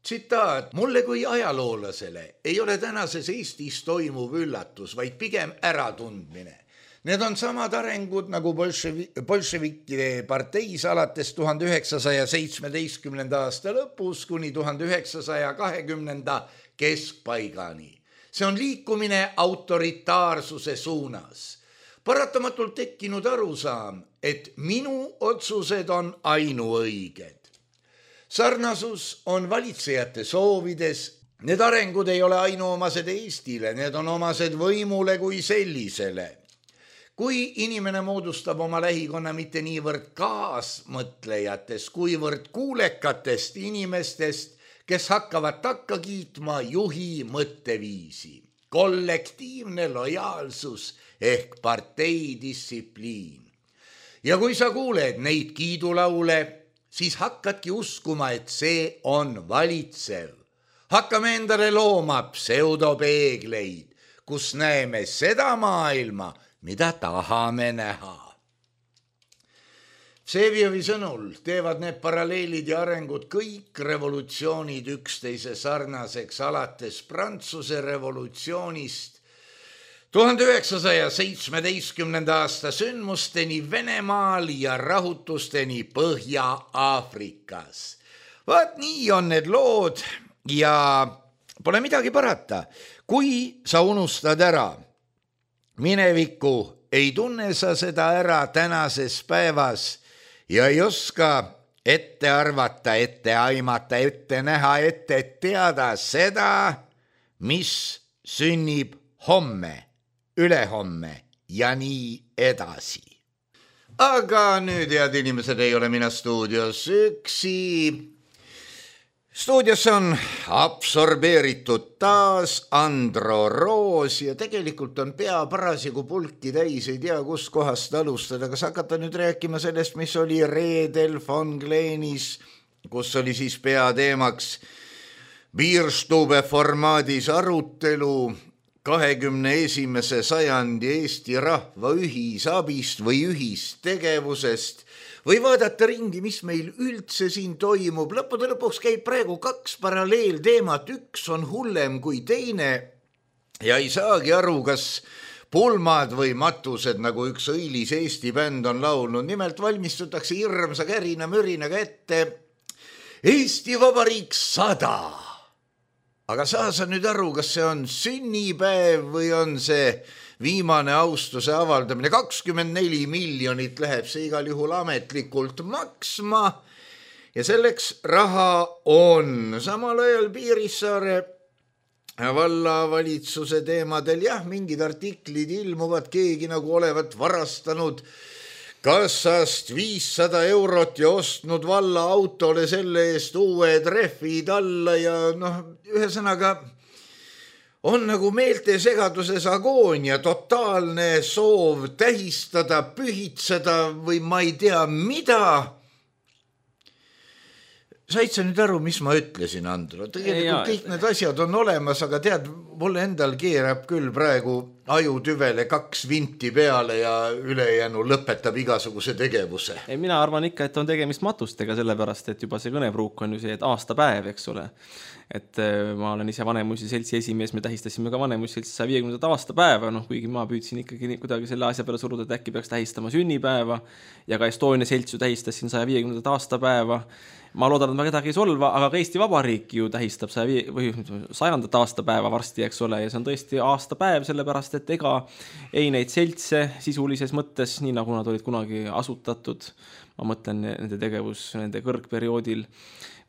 Tsitaat, mulle kui ajaloolasele ei ole tänases Eestis toimuv üllatus, vaid pigem äratundmine. Need on samad arengud nagu bolševikide parteis alates tuhande üheksasaja seitsmeteistkümnenda aasta lõpus kuni tuhande üheksasaja kahekümnenda keskpaigani. See on liikumine autoritaarsuse suunas. Paratamatult tekkinud arusaam, et minu otsused on ainuõiged. Sarnasus on valitsejate soovides. Need arengud ei ole ainuomased Eestile, need on omased võimule kui sellisele. Kui inimene moodustab oma lähikonna mitte niivõrd kaasmõtlejatest, kuivõrd kuulekatest inimestest, kes hakkavad takka kiitma juhi mõtteviisi. Kollektiivne lojaalsus ehk parteidistsipliin. Ja kui sa kuuled neid kiidulaule, siis hakkadki uskuma, et see on valitsev. Hakkame endale looma pseudopeegleid, kus näeme seda maailma, mida tahame näha. Vseviovi sõnul teevad need paralleelid ja arengud kõik revolutsioonid üksteise sarnaseks alates Prantsuse revolutsioonist tuhande üheksasaja seitsmeteistkümnenda aasta sündmusteni Venemaal ja rahutusteni Põhja-Aafrikas. Vaat nii on need lood ja pole midagi parata. Kui sa unustad ära minevikku, ei tunne sa seda ära tänases päevas ja ei oska ette arvata, ette aimata, ette näha, ette teada seda, mis sünnib homme, ülehomme ja nii edasi. Aga nüüd, head inimesed, ei ole mina stuudios üksi. Stuudios on absorbeeritud taas Andro Roos ja tegelikult on pea parasjagu pulki täis, ei tea, kus kohast alustada. Kas hakata nüüd rääkima sellest, mis oli reedel Von Glenis, kus oli siis peateemaks Bierstube formaadis arutelu kahekümne esimese sajandi Eesti rahva ühisabist või ühistegevusest või vaadata ringi, mis meil üldse siin toimub. Lõppude lõpuks käib praegu kaks paralleelteemat, üks on hullem kui teine ja ei saagi aru, kas pulmad või matused, nagu üks õilis Eesti bänd on laulnud. Nimelt valmistutakse hirmsa kärina mürinaga ette Eesti Vabariik sada. Aga saa sa nüüd aru, kas see on sünnipäev või on see viimane austuse avaldamine. kakskümmend neli miljonit läheb see igal juhul ametlikult maksma ja selleks raha on. Samal ajal Piirissaare vallavalitsuse teemadel jah, mingid artiklid ilmuvad, keegi nagu olevat varastanud kassast viissada eurot ja ostnud valla autole selle eest uue trehvid alla ja noh, ühesõnaga on nagu meelte segaduses agoonia, totaalne soov tähistada, pühitseda või ma ei tea mida. Said sa nüüd aru, mis ma ütlesin, Andro? Tegelikult kõik need asjad on olemas, aga tead, mulle endal keerab küll praegu ajutüvele kaks vinti peale ja ülejäänu lõpetab igasuguse tegevuse. Ei, mina arvan ikka, et on tegemist matustega, sellepärast, et juba see kõnepruuk on ju see, et aastapäev, eks ole. Et ma olen ise Vanemuisi seltsi esimees, me tähistasime ka Vanemuisi seltsi saja viiekümnendat aastapäeva, noh, kuigi ma püüdsin ikkagi kuidagi selle asja peale suruda, et äkki peaks tähistama sünnipäeva ja ka Estonia seltsu tähistasin saja viiekümnendat aastapäeva. Ma loodan, et ma kedagi ei solva, aga ka Eesti Vabariik ju tähistab sajandat aastapäeva varsti, eks ole, ja see on tõesti aastapäev, sellepärast, et ega ei neid seltse sisulises mõttes, nii nagu nad olid kunagi asutatud, ma mõtlen nende tegevus nende kõrgperioodil,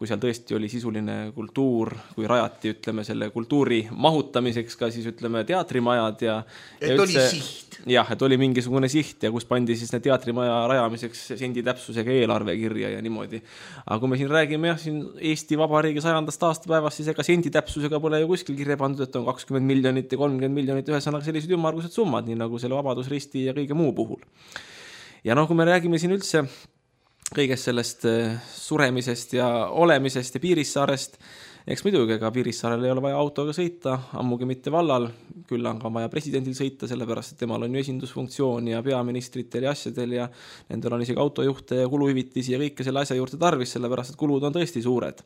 kui seal tõesti oli sisuline kultuur, kui rajati, ütleme, selle kultuuri mahutamiseks ka siis, ütleme, teatrimajad ja et ja üldse, oli siht. Jah, et oli mingisugune siht ja kus pandi siis need teatrimaja rajamiseks sendi täpsusega eelarve kirja ja niimoodi. Aga kui me siin räägime jah, siin Eesti Vabariigi sajandast aastapäevast, siis ega sendi täpsusega pole ju kuskil kirja pandud, et on kakskümmend miljonit ja kolmkümmend miljonit, ühesõnaga sellised ümmargused summad, nii nagu selle Vabadusristi ja kõige muu puhul. Ja noh, kui me räägime siin üldse kõigest sellest suremisest ja olemisest ja Piirissaarest, eks muidugi, ega Piirissaarel ei ole vaja autoga sõita, ammugi mitte vallal, küll on ka vaja presidendil sõita, sellepärast, et temal on ju esindusfunktsioon ja peaministritel ja asjadel ja nendel on isegi autojuhte ja kuluhüvitisi ja kõike selle asja juurde tarvis, sellepärast, et kulud on tõesti suured.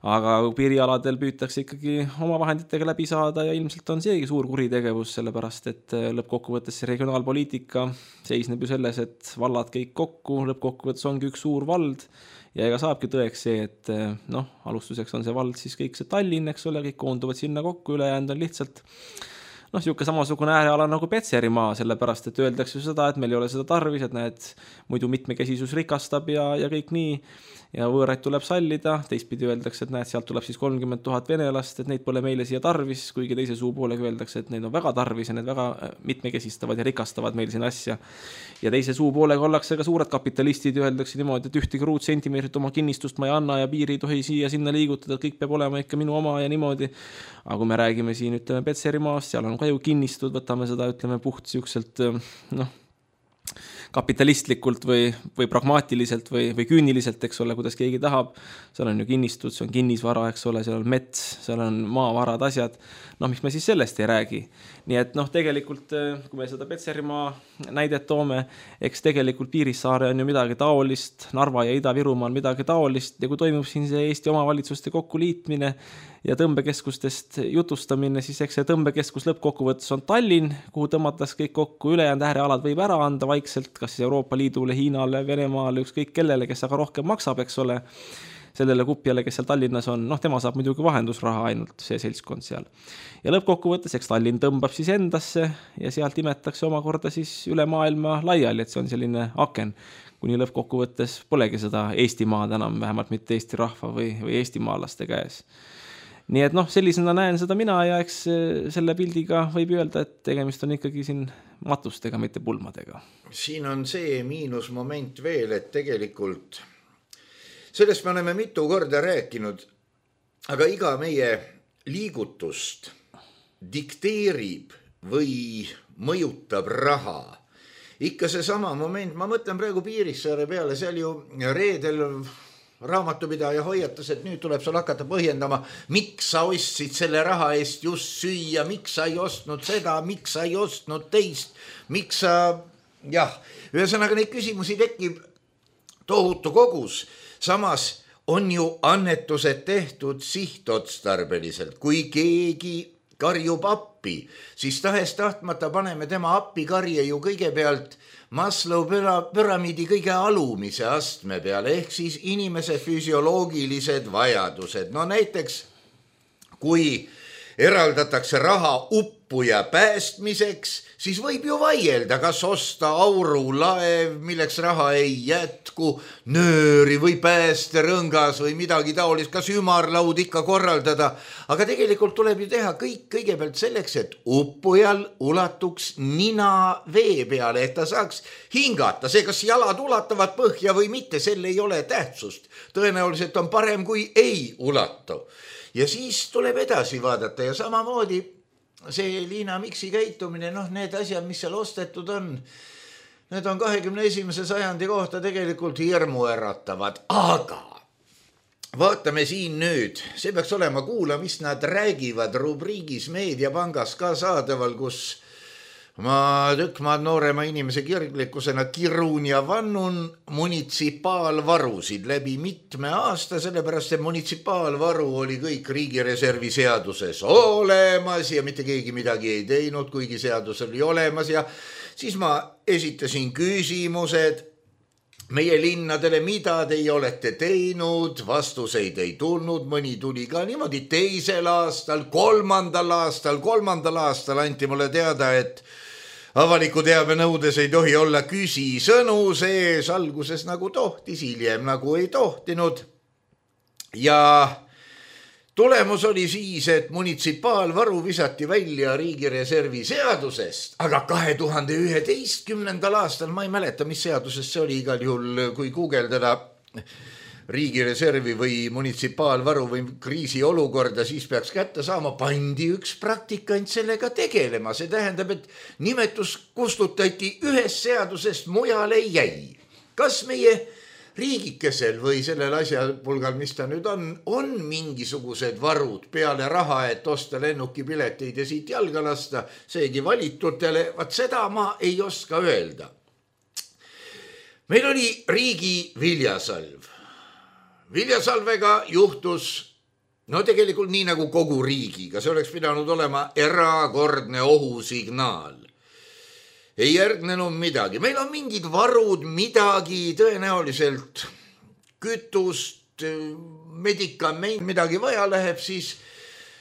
Aga piirialadel püütakse ikkagi oma vahenditega läbi saada ja ilmselt on seegi suur kuritegevus, sellepärast, et lõppkokkuvõttes see regionaalpoliitika seisneb ju selles, et vallad kõik kokku, lõppkokkuvõttes ongi üks suur vald ja ega saabki tõeks see, et noh, alustuseks on see vald siis kõik see Tallinn, eks ole, kõik koonduvad sinna kokku, ülejäänud on lihtsalt noh, siuke samasugune ääreala nagu Petserimaa, sellepärast, et öeldakse seda, et meil ei ole seda tarvis, et näed, muidu mitmekesisus rikastab ja, ja kõik nii ja võõraid tuleb sallida, teistpidi öeldakse, et näed, sealt tuleb siis kolmkümmend tuhat venelast, et neid pole meile siia tarvis, kuigi teise suu poolega öeldakse, et neid on väga tarvis ja need väga mitmekesistavad ja rikastavad meil siin asja. Ja teise suu poolega ollakse ka suured kapitalistid ja öeldakse niimoodi, et ühtegi ruutsentimeetrit oma kinnistust ma ei anna ja piiri ei tohi siia sinna liigutada, kõik peab olema ikka minu oma ja niimoodi. Aga kui me räägime siin, ütleme, Petserimaast, seal on ka ju kinnistud, võtame seda, ütleme, puht siukselt, noh, kapitalistlikult või, või pragmaatiliselt või, või küüniliselt, eks ole, kuidas keegi tahab. Seal on ju kinnistud, see on kinnisvara, eks ole, seal on mets, seal on maavarad, asjad. Noh, miks me siis sellest ei räägi? Nii et noh, tegelikult, kui me seda Petserimaa näidet toome, eks tegelikult Piirissaare on ju midagi taolist, Narva ja Ida-Virumaa on midagi taolist ja kui toimub siin see Eesti omavalitsuste kokkuliitmine ja tõmbekeskustest jutustamine, siis eks see tõmbekeskus lõppkokkuvõttes on Tallinn, kuhu tõmmatas kõik kokku, ülejäänud äärealad võib ära anda vaikselt, kas siis Euroopa Liidule, Hiinale, Venemaale, ükskõik kellele, kes aga rohkem maksab, eks ole. sellele kupjale, kes seal Tallinnas on, noh, tema saab muidugi vahendusraha ainult, see seltskond seal. Ja lõppkokkuvõttes, eks Tallinn tõmbab siis endasse ja sealt imetakse omakorda siis üle maailma laiali, et see on selline aken, kuni lõppkokkuvõttes polegi seda Eestimaad enam, vähemalt mitte Eesti rahva või, või eestimaalaste käes. Nii et noh, sellisena näen seda mina ja eks selle pildiga võib öelda, et tegemist on ikkagi siin matustega, mitte pulmadega. Siin on see miinusmoment veel, et tegelikult sellest me oleme mitu korda rääkinud, aga iga meie liigutust dikteerib või mõjutab raha. Ikka see sama moment, ma mõtlen praegu Piirissaare peale, seal ju reedel raamatupidaja hoiatas, et nüüd tuleb sul hakata põhjendama, miks sa ostsid selle raha eest just süüa, miks sa ei ostnud seda, miks sa ei ostnud teist, miks sa, jah, ühesõnaga neid küsimusi tekib tohutu kogus, samas on ju annetused tehtud sihtotstarbeliselt, kui keegi karjub appi, siis tahes tahtmata paneme tema appikarje ju kõigepealt Maslow püramiidi kõige alumise astme peale, ehk siis inimese füsioloogilised vajadused. No näiteks, kui eraldatakse raha uppuja päästmiseks, siis võib ju vaielda, kas osta aurulaev, milleks raha ei jätku, nööri või päästerõngas või midagi taolist, kas ümarlaud ikka korraldada. Aga tegelikult tuleb ju teha kõik kõigepealt selleks, et uppujal ulatuks nina vee peale, et ta saaks hingata. See, kas jalad ulatavad põhja või mitte, sel ei ole tähtsust. Tõenäoliselt on parem, kui ei ulatu. Ja siis tuleb edasi vaadata ja samamoodi see Liina Miksi käitumine, noh need asjad, mis seal ostetud on, need on kahekümne esimese sajandi kohta tegelikult hirmu äratavad, aga vaatame siin nüüd, see peaks olema kuula, mis nad räägivad rubriigis Meediapangas ka saadaval, kus ma tükk maad noorema inimese kirglikkusena kirun ja vannun munitsipaalvarusid läbi mitme aasta, sellepärast et munitsipaalvaru oli kõik riigireservi seaduses olemas ja mitte keegi midagi ei teinud, kuigi seadus oli olemas ja siis ma esitasin küsimused meie linnadele, mida teie olete teinud, vastuseid ei tulnud, mõni tuli ka niimoodi teisel aastal, kolmandal aastal, kolmandal aastal anti mulle teada, et avaliku teabe nõudes ei tohi olla küsisõnu sees, alguses nagu tohtis, hiljem nagu ei tohtinud. Ja tulemus oli siis, et munitsipaalvaru visati välja riigireservi seadusest, aga kahe tuhande üheteistkümnendal aastal, ma ei mäleta, mis seadusest see oli igal juhul, kui guugeldada riigireservi või munitsipaalvaru või kriisiolukorda, siis peaks kätte saama, pandi üks praktikant sellega tegelema. See tähendab, et nimetus kustutati ühest seadusest, mujal ei jäi. Kas meie riigikesel või sellel asjapulgal, mis ta nüüd on, on mingisugused varud peale raha, et osta lennukipileteid ja siit jalga lasta, seegi valitutele, vaat seda ma ei oska öelda. Meil oli riigi viljasalv. Viljasalvega juhtus, no tegelikult nii nagu kogu riigiga, see oleks pidanud olema erakordne ohusignaal. Ei järgnenud midagi. Meil on mingid varud, midagi tõenäoliselt kütust, medikament, midagi vaja läheb, siis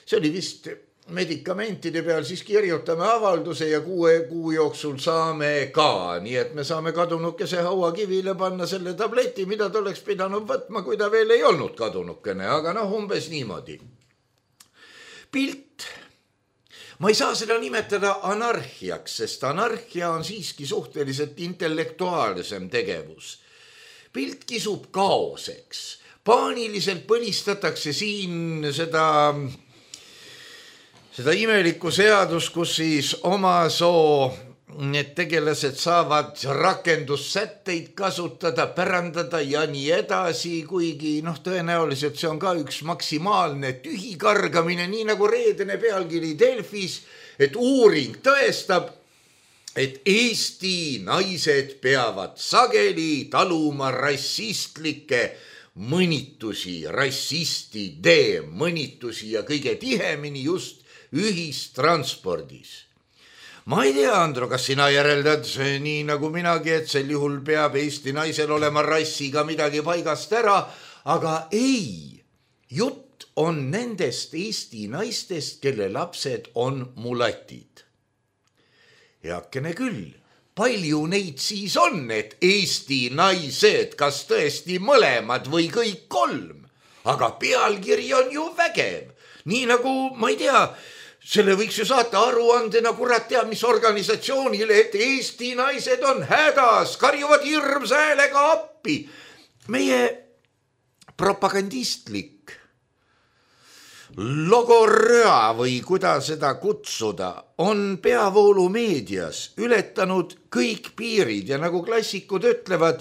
see oli vist medikamentide peal, siis kirjutame avalduse ja kuue kuu jooksul saame ka, nii et me saame kadunukese hauakivile panna selle tableti, mida ta oleks pidanud võtma, kui ta veel ei olnud kadunukene, aga noh, umbes niimoodi. Pilt. Ma ei saa seda nimetada anarhiaks, sest anarhia on siiski suhteliselt intellektuaalsem tegevus. Pilt kisub kaoseks. Paaniliselt põlistatakse siin seda... Seda imelikku seadus, kus siis oma soo need tegelased saavad rakendussätteid kasutada, pärandada ja nii edasi, kuigi noh, tõenäoliselt see on ka üks maksimaalne tühikargamine, nii nagu reedene pealkiri Delfis, et uuring tõestab, et Eesti naised peavad sageli taluma rassistlikke mõnitusi, rassistide mõnitusi ja kõige tihemini just ühistranspordis. Ma ei tea, Andro, kas sina järeldad nii nagu minagi, et sel juhul peab Eesti naisel olema rassiga midagi paigast ära, aga ei, jutt on nendest Eesti naistest, kelle lapsed on mulatid. Heakene küll, palju neid siis on, et Eesti naised, kas tõesti mõlemad või kõik kolm, aga pealkiri on ju vägev. Nii nagu, ma ei tea, selle võiks ju saata aruandena, kurat teab, mis organisatsioonile, et Eesti naised on hädas, karjuvad hirmsa häälega appi. Meie propagandistlik logoröa või kuidas seda kutsuda on peavoolumeedias ületanud kõik piirid ja nagu klassikud ütlevad,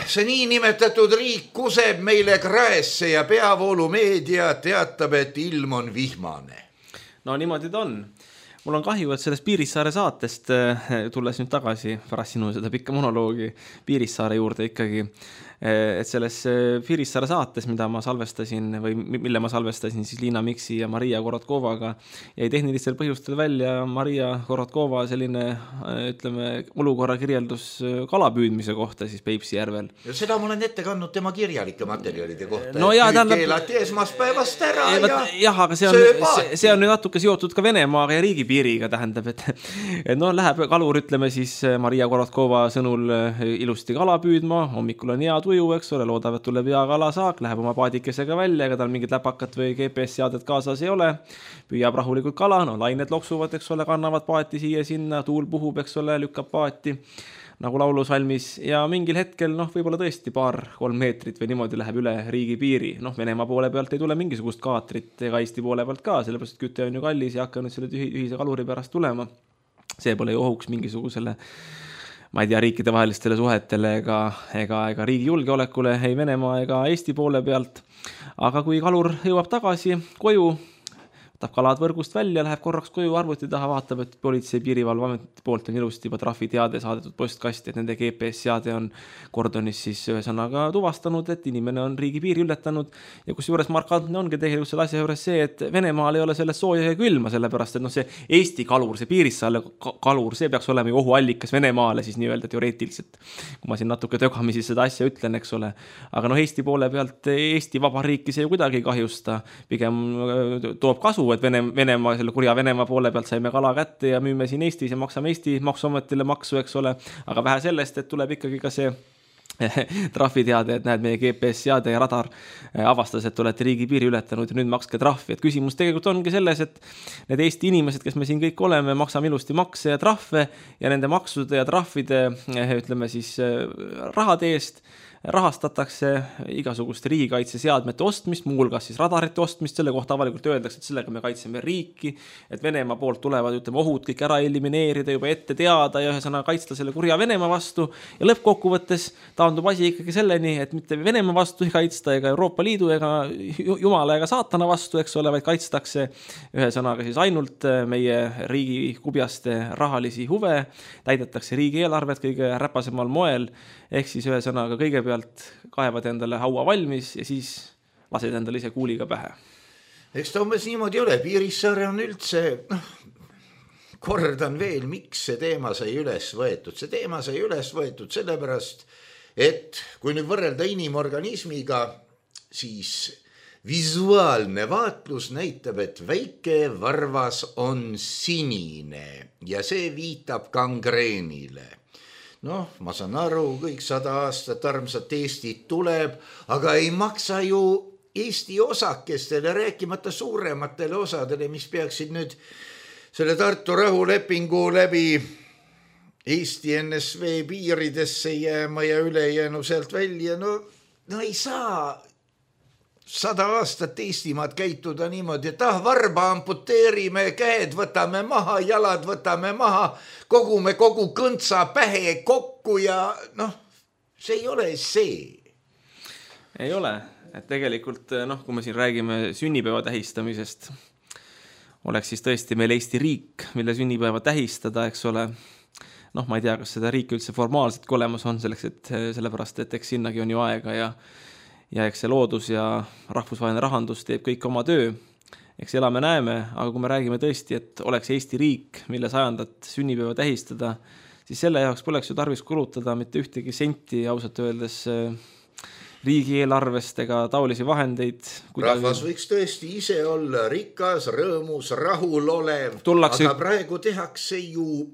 see niinimetatud riik kuseb meile kraesse ja peavoolumeedia teatab, et ilm on vihmane. No niimoodi ta on. Mul on kahju, et sellest Piirissaare saatest tulles nüüd tagasi pärast sinu seda pikka monoloogi Piirissaare juurde ikkagi, et selles Piirissaare saates, mida ma salvestasin või mille ma salvestasin siis Liina Miksi ja Maria Korotkovaga, jäi tehnilistel põhjustel välja Maria Korotkova selline, ütleme, olukorra kirjeldus kalapüüdmise kohta siis Peipsi järvel. Ja seda ma olen ette kandnud tema kirjalike materjalide kohta, no et jah, nüüd tähendab... keelati esmaspäevast ära ja, ja jah, aga see on, see, see on nüüd natuke seotud ka Venemaaga ja riigipiiriga, tähendab, et, et no läheb kalur, ütleme siis Maria Korotkova sõnul ilusti kala püüdma, hommikul on hea tuju, eks ole, loodab, et tuleb hea kalasaak, läheb oma paadikesega välja, ega tal mingit läpakat või G P S-seadet kaasas ei ole, püüab rahulikult kala, no lained loksuvad, eks ole, kannavad paati siia sinna, tuul puhub, eks ole, lükkab paati nagu laulusalmis ja mingil hetkel, noh, võib-olla tõesti paar, kolm meetrit või niimoodi läheb üle riigipiiri, noh, Venemaa poole pealt ei tule mingisugust kaatrit ega Eesti poole pealt ka, sellepärast, et küte on ju kallis ja hakka nüüd selle ühise kaluri pärast tulema. See pole ju ohuks mingisugusele ma ei tea, riikide vahelistele suhetele ega, ega, ega riigi julgeolekule, ei Venemaa ega Eesti poole pealt. Aga kui kalur jõuab tagasi koju, võtab kalad võrgust välja, läheb korraks koju arvuti taha, vaatab, et politsei piirivalveameti poolt on ilusti juba trahviteade saadetud postkasti, et nende G P S-seade on kordonis siis ühesõnaga tuvastanud, et inimene on riigipiiri ületanud ja kus juures markantne ongi tegelikult selle asja juures see, et Venemaal ei ole sellest sooja ja külma, sellepärast, et noh, see Eesti kalur, see Piirissaare kalur, see peaks olema ju ohuallikas Venemaale siis nii-öelda teoreetiliselt, kui ma siin natuke tögamisi seda asja ütlen, eks ole. Aga noh, Eesti poole pealt Eesti Vabariiki see ju kuidagi kahjusta, pigem toob kasu, et Vene, Venemaa, selle kurja Venemaa poole pealt saime kala kätte ja müüme siin Eestis ja maksame Eesti maksuametile maksu, eks ole, aga vähe sellest, et tuleb ikkagi ka see trahviteade, et näed, meie G P S-seade ja radar avastas, et olete riigipiiri ületanud ja nüüd makske trahvi. Et küsimus tegelikult ongi selles, et need Eesti inimesed, kes me siin kõik oleme, maksame ilusti makse ja trahve ja nende maksude ja trahvide, ütleme siis, rahade eest rahastatakse igasuguste riigikaitseseadmete ostmist, muulgas siis radarite ostmist, selle kohta avalikult öeldakse, et sellega me kaitseme riiki, et Venemaa poolt tulevad, ütleme, ohud kõik ära elimineerida, juba ette teada ja ühesõnaga kaitsta selle kurja Venemaa vastu ja lõppkokkuvõttes taandub asi ikkagi selleni, et mitte Venemaa vastu ei kaitsta ega Euroopa Liidu ega Jumala ega saatana vastu, eks ole, vaid kaitstakse ühesõnaga siis ainult meie riigi kubjaste rahalisi huve, täidetakse riigieelarvet kõige räpasemal moel, ehk siis ühesõnaga kõigepealt kaevad endale haua valmis ja siis lased endale ise kuuliga pähe. Eks ta umbes niimoodi ole, Piirissaare on üldse, noh, kordan veel, miks see teema sai üles võetud. See teema sai üles võetud sellepärast, et kui nüüd võrrelda inimorganismiga, siis visuaalne vaatlus näitab, et väike varvas on sinine ja see viitab gangreenile. Noh, ma saan aru, kõik sada aastat armsat Eestit tuleb, aga ei maksa ju Eesti osakestele, rääkimata suurematele osadele, mis peaksid nüüd selle Tartu rahulepingu läbi Eesti N S V piiridesse jääma ja ülejäänu sealt välja. No, no ei saa sada aastat Eestimaad käituda niimoodi, et ah, varba amputeerime, käed võtame maha, jalad võtame maha, kogume kogu kõntsa pähe kokku ja noh, see ei ole see. Ei ole, et tegelikult noh, kui me siin räägime sünnipäeva tähistamisest, oleks siis tõesti meil Eesti riik, mille sünnipäeva tähistada, eks ole. Noh, ma ei tea, kas seda riiki üldse formaalselt olemas on selleks, et sellepärast, et eks sinnagi on ju aega ja ja eks see loodus ja rahvusvaheline rahandus teeb kõik oma töö. Eks elame näeme, aga kui me räägime tõesti, et oleks Eesti riik, mille sajandat sünnipäeva tähistada, siis selle jaoks poleks ju tarvis kulutada mitte ühtegi senti ausalt öeldes riigieelarvest ega taolisi vahendeid. Rahvas võiks tõesti ise olla rikas, rõõmus, rahul olev, tullakse... aga praegu tehakse ju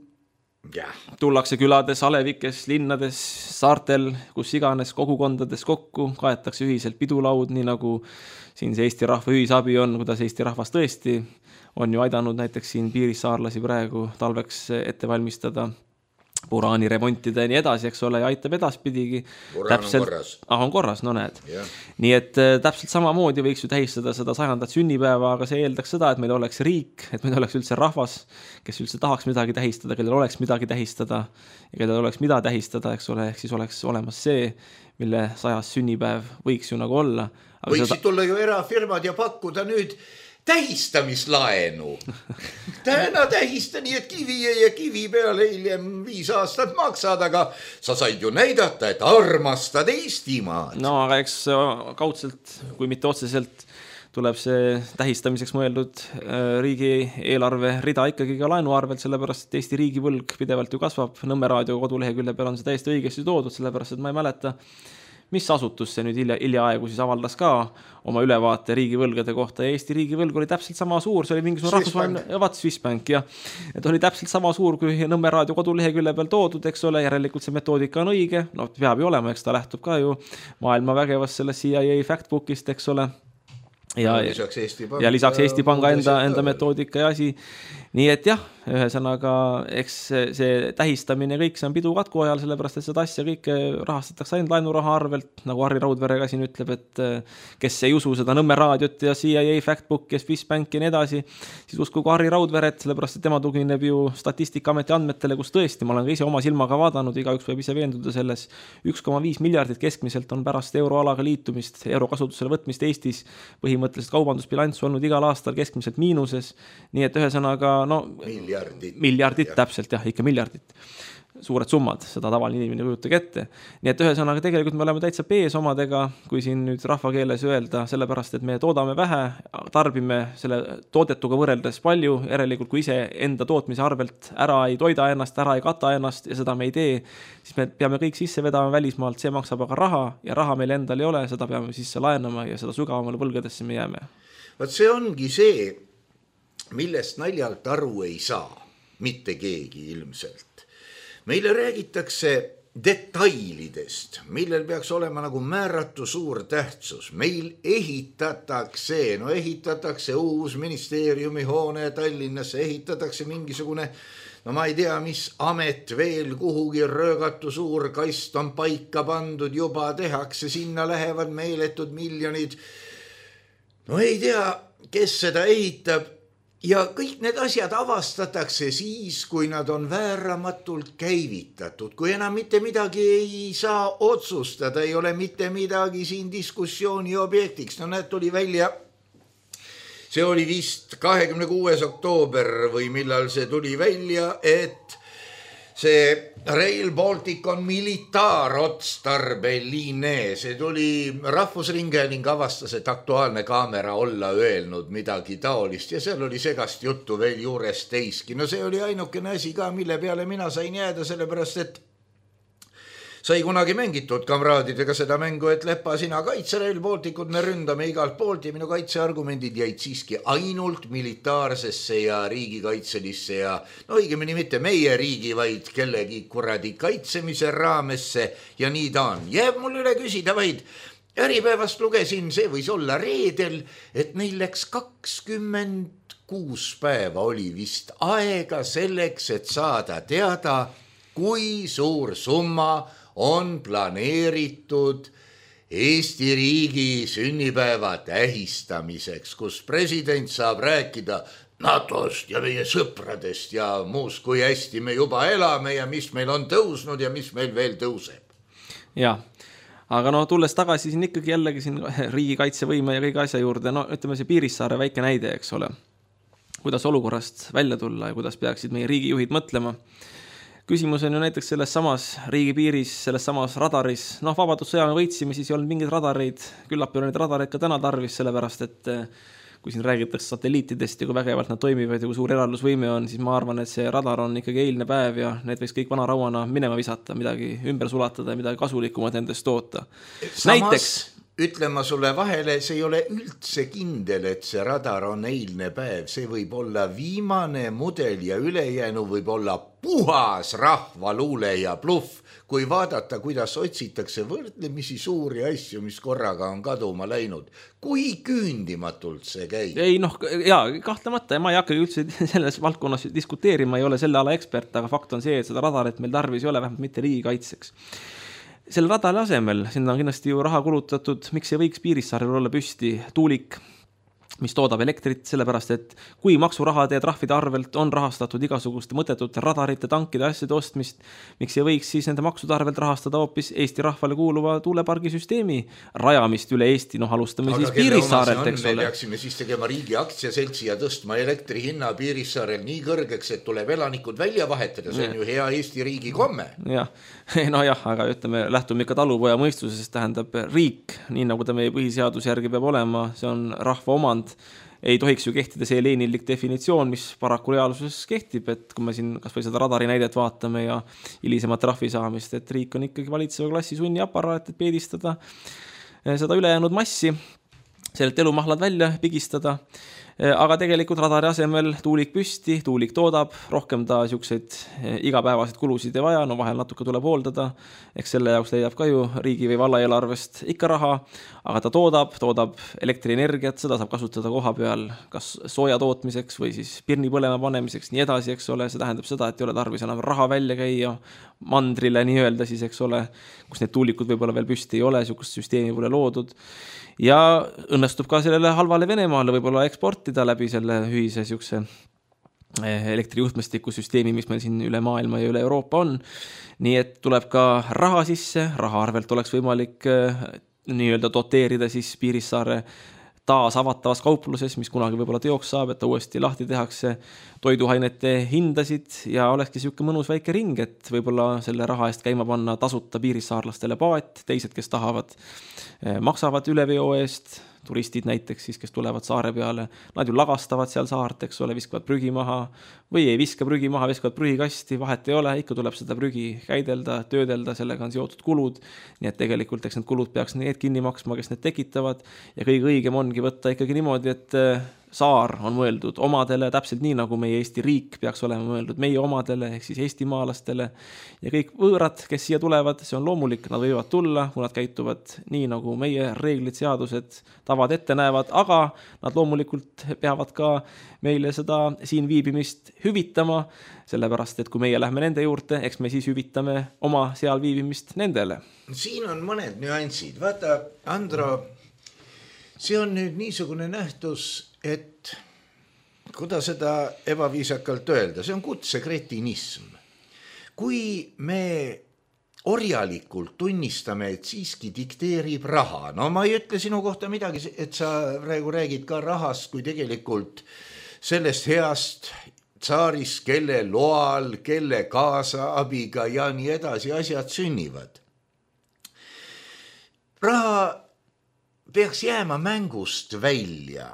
ja. Tullakse külades, alevikes, linnades, saartel, kus iganes kogukondades kokku, kaetakse ühiselt pidulaud, nii nagu siin see Eesti rahva ühisabi on, kuidas Eesti rahvas tõesti on ju aidanud näiteks siin piirissaarlasi praegu talveks ette valmistada, puraani remontida ja nii edasi, eks ole, ja aitab edaspidigi. Puraan täpselt... on korras. Ah, on korras, no näed. Yeah. Nii et täpselt samamoodi võiks ju tähistada seda sajandat sünnipäeva, aga see eeldaks seda, et meil oleks riik, et meil oleks üldse rahvas, kes üldse tahaks midagi tähistada, kellel oleks midagi tähistada ja kellel oleks mida tähistada, eks ole, ehk siis oleks olemas see, mille sajas sünnipäev võiks ju nagu olla. Aga võiksid seda... tulla ju erafirmad ja pakkuda nüüd tähistamislaenu. Täna tähista nii, et kivi ja kivi peale hiljem viis aastat maksad, aga sa said ju näidata, et armastad Eestimaad. No aga eks kaudselt, kui mitte otseselt, tuleb see tähistamiseks mõeldud riigi eelarve rida ikkagi ka laenu arvelt, sellepärast et Eesti riigivõlg pidevalt ju kasvab. Nõmme raadio kodulehekülje peal on see täiesti õigesti toodud, sellepärast et ma ei mäleta, mis asutus see nüüd hilja, hilja aegu siis avaldas ka oma ülevaate riigivõlgade kohta ja Eesti riigivõlg oli täpselt sama suur, see oli mingisugune rahvusvaheline, ja vaat Swissbank, jah. Et oli täpselt sama suur kui Nõmme raadio kodulehekülje peal toodud, eks ole, järelikult see metoodika on õige, no peab ju olema, eks ta lähtub ka ju maailma vägevast sellest C I A factbookist, eks ole. Ja, ja lisaks Eesti Panga, ja lisaks Eesti Panga enda, enda metoodika ja asi. Nii et jah, ühesõnaga, eks see tähistamine kõik see on pidu katku ajal, sellepärast et seda asja kõike rahastatakse ainult laenuraha arvelt, nagu Harri Raudvere ka siin ütleb, et kes ei usu seda Nõmme raadiot ja C I A factbook ja Swissbank ja nii edasi, siis uskugu Harri Raudveret, sellepärast et tema tugineb ju Statistikaameti andmetele, kus tõesti, ma olen ka ise oma silmaga vaadanud, igaüks võib ise veenduda selles, üks koma viis miljardit keskmiselt on pärast euroalaga liitumist, euro kasutusele võtmist Eestis põhimõtteliselt kaubandusbilanss olnud igal aastal keskmiselt miinuses, nii et ühesõnaga no, miljardit, miljardit ja. Täpselt jah, ikka miljardit. Suured summad, seda tavaline inimene kujutage ette. Nii et ühesõnaga tegelikult me oleme täitsa pees omadega, kui siin nüüd rahvakeeles öelda, sellepärast et me toodame vähe, tarbime selle toodetuga võrreldes palju, järelikult kui ise enda tootmise arvelt ära ei toida ennast, ära ei kata ennast ja seda me ei tee, siis me peame kõik sisse vedama välismaalt, see maksab aga raha ja raha meil endal ei ole, seda peame sisse laenama ja seda sügavamale võlgadesse me jääme. Vaat see ongi see, millest naljalt aru ei saa, mitte keegi ilmselt. Meile räägitakse detailidest, millel peaks olema nagu määratu suur tähtsus. Meil ehitatakse, no ehitatakse uus ministeeriumi hoone Tallinnasse, ehitatakse mingisugune, no ma ei tea, mis amet veel kuhugi röögatu suur kast on paika pandud, juba tehakse, sinna lähevad meeletud miljonid. No ei tea, kes seda ehitab. Ja kõik need asjad avastatakse siis, kui nad on vääramatult käivitatud, kui enam mitte midagi ei saa otsustada, ei ole mitte midagi siin diskussiooni objektiks. No näed, tuli välja, see oli vist kahekümne kuues oktoober või millal see tuli välja, et see Rail Baltic on militaarotstarbeline, see tuli Rahvusringhääling avastas, et Aktuaalne Kaamera olla öelnud midagi taolist ja seal oli segast juttu veel juures teiski. No see oli ainukene asi ka, mille peale mina sain jääda, sellepärast et sai kunagi mängitud kamraadidega seda mängu, et Lepa, sina kaitse Rail Balticut, me ründame igalt poolt ja minu kaitseargumendid jäid siiski ainult militaarsesse ja riigikaitselisse ja no õigemini mitte meie riigi, vaid kellegi kuradi kaitsemise raamesse ja nii ta on. Jääb mul üle küsida vaid, Äripäevast lugesin, see võis olla reedel, et neil läks kakskümmend kuus päeva oli vist aega selleks, et saada teada, kui suur summa on planeeritud Eesti riigi sünnipäeva tähistamiseks, kus president saab rääkida NATOst ja meie sõpradest ja muust, kui hästi me juba elame ja mis meil on tõusnud ja mis meil veel tõuseb. Jah, aga no tulles tagasi siin ikkagi jällegi siin riigikaitsevõime ja kõige asja juurde, no ütleme see Piirissaare väike näide, eks ole, kuidas olukorrast välja tulla ja kuidas peaksid meie riigijuhid mõtlema. Küsimus on ju näiteks selles samas riigipiiris, selles samas radaris, noh vabadussõja me võitsime, siis ei olnud mingid radareid, küllap ei ole neid radareid ka täna tarvis, sellepärast et kui siin räägitakse satelliitidest ja kui vägevalt nad toimivad ja kui suur eraldusvõime on, siis ma arvan, et see radar on ikkagi eilne päev ja need võiks kõik vana rauana minema visata, midagi ümber sulatada ja midagi kasulikumat endast toota. Samas Näiteks... ütlema sulle vahele, see ei ole üldse kindel, et see radar on eilne päev, see võib olla viimane mudel ja ülejäänu võib olla puhas rahvaluule ja bluff, kui vaadata, kuidas otsitakse võrdlemisi suuri asju, mis korraga on kaduma läinud. Kui küündimatult see käib? Ei, noh, jaa, kahtlemata, ja ma ei hakka üldse selles valdkonnas diskuteerima, ei ole selle ala ekspert, aga fakt on see, et seda radarit meil tarvis ei ole, vähemalt mitte riigikaitseks. Selle radari asemel, sinna on kindlasti ju raha kulutatud, miks ei võiks Piirissaarel olla püsti tuulik, mis toodab elektrit, sellepärast, et kui maksurahade ja trahvide arvelt on rahastatud igasuguste mõttetute radarite, tankide, asjade ostmist, miks ei võiks siis nende maksude arvelt rahastada hoopis Eesti rahvale kuuluva tuulepargisüsteemi rajamist üle Eesti, noh alustame aga siis Piirissaarelt, eks ole. Me peaksime siis tegema riigi aktsiaseltsi ja tõstma elektri hinna Piirissaarel nii kõrgeks, et tuleb elanikud välja vahetada, see on ju hea Eesti riigi komme. Jah, no jah, aga ütleme, lähtume ikka talupoja mõistusest, tähendab riik, nii nagu ta meie põhiseaduse järgi peab olema, see on rahva omand, ei tohiks ju kehtida see leenillik definitsioon, mis paraku reaalsuses kehtib, et kui me siin kas või seda radari näidet vaatame ja hilisemat trahvi saamist, et riik on ikkagi valitseva klassi sunni aparaat, et peedistada seda ülejäänud massi, sellelt elumahlad välja pigistada, aga tegelikult radari asemel tuulik püsti, tuulik toodab, rohkem ta siukseid igapäevaseid kulusid ei vaja, no vahel natuke tuleb hooldada, eks selle jaoks leiab ka ju riigi või valla eelarvest ikka raha, aga ta toodab, toodab elektrienergiat, seda saab kasutada koha peal kas sooja tootmiseks või siis pirni põlema panemiseks, nii edasi, eks ole, see tähendab seda, et ei ole tarvis enam raha välja käia mandrile nii öelda siis, eks ole, kus need tuulikud võib-olla veel püsti ei ole, siukest süsteemi pole loodud ja õnnestub ka sellele halvale Venemaale võib-olla eksportida läbi selle ühise siukse elektrijuhtmestiku süsteemi, mis meil siin üle maailma ja üle Euroopa on. Nii et tuleb ka raha sisse, raha arvelt oleks võimalik nii-öelda doteerida siis Piirissaare taas avatavas kaupluses, mis kunagi võib-olla teoks saab, et ta uuesti lahti tehakse toiduainete hindasid ja olekski siuke mõnus väike ring, et võib-olla selle raha eest käima panna tasuta piirissaarlastele paat, teised, kes tahavad, maksavad üleveo eest, turistid näiteks siis, kes tulevad saare peale, nad ju lagastavad seal saart, eks ole, viskavad prügi maha või ei viska prügi maha, viskavad prügikasti, vahet ei ole, ikka tuleb seda prügi käidelda, töödelda, sellega on seotud kulud, nii et tegelikult eks need kulud peaks need kinni maksma, kes need tekitavad ja kõige õigem ongi võtta ikkagi niimoodi, et saar on mõeldud omadele, täpselt nii nagu meie Eesti riik peaks olema mõeldud meie omadele, ehk siis eestimaalastele ja kõik võõrad, kes siia tulevad, see on loomulik, nad võivad tulla, kui nad käituvad nii nagu meie reeglid, seadused, tavad ette näevad, aga nad loomulikult peavad ka meile seda siin viibimist hüvitama, sellepärast, et kui meie lähme nende juurde, eks me siis hüvitame oma seal viibimist nendele. Siin on mõned nüansid. Vaata, Andro, see on nüüd niisugune nähtus, et kuidas seda ebaviisakalt öelda, see on kutsekretinism. Kui me orjalikult tunnistame, et siiski dikteerib raha, no ma ei ütle sinu kohta midagi, et sa praegu räägid ka rahast, kui tegelikult sellest heast tsaaris, kelle loal, kelle kaasaabiga ja nii edasi asjad sünnivad. Raha peaks jääma mängust välja.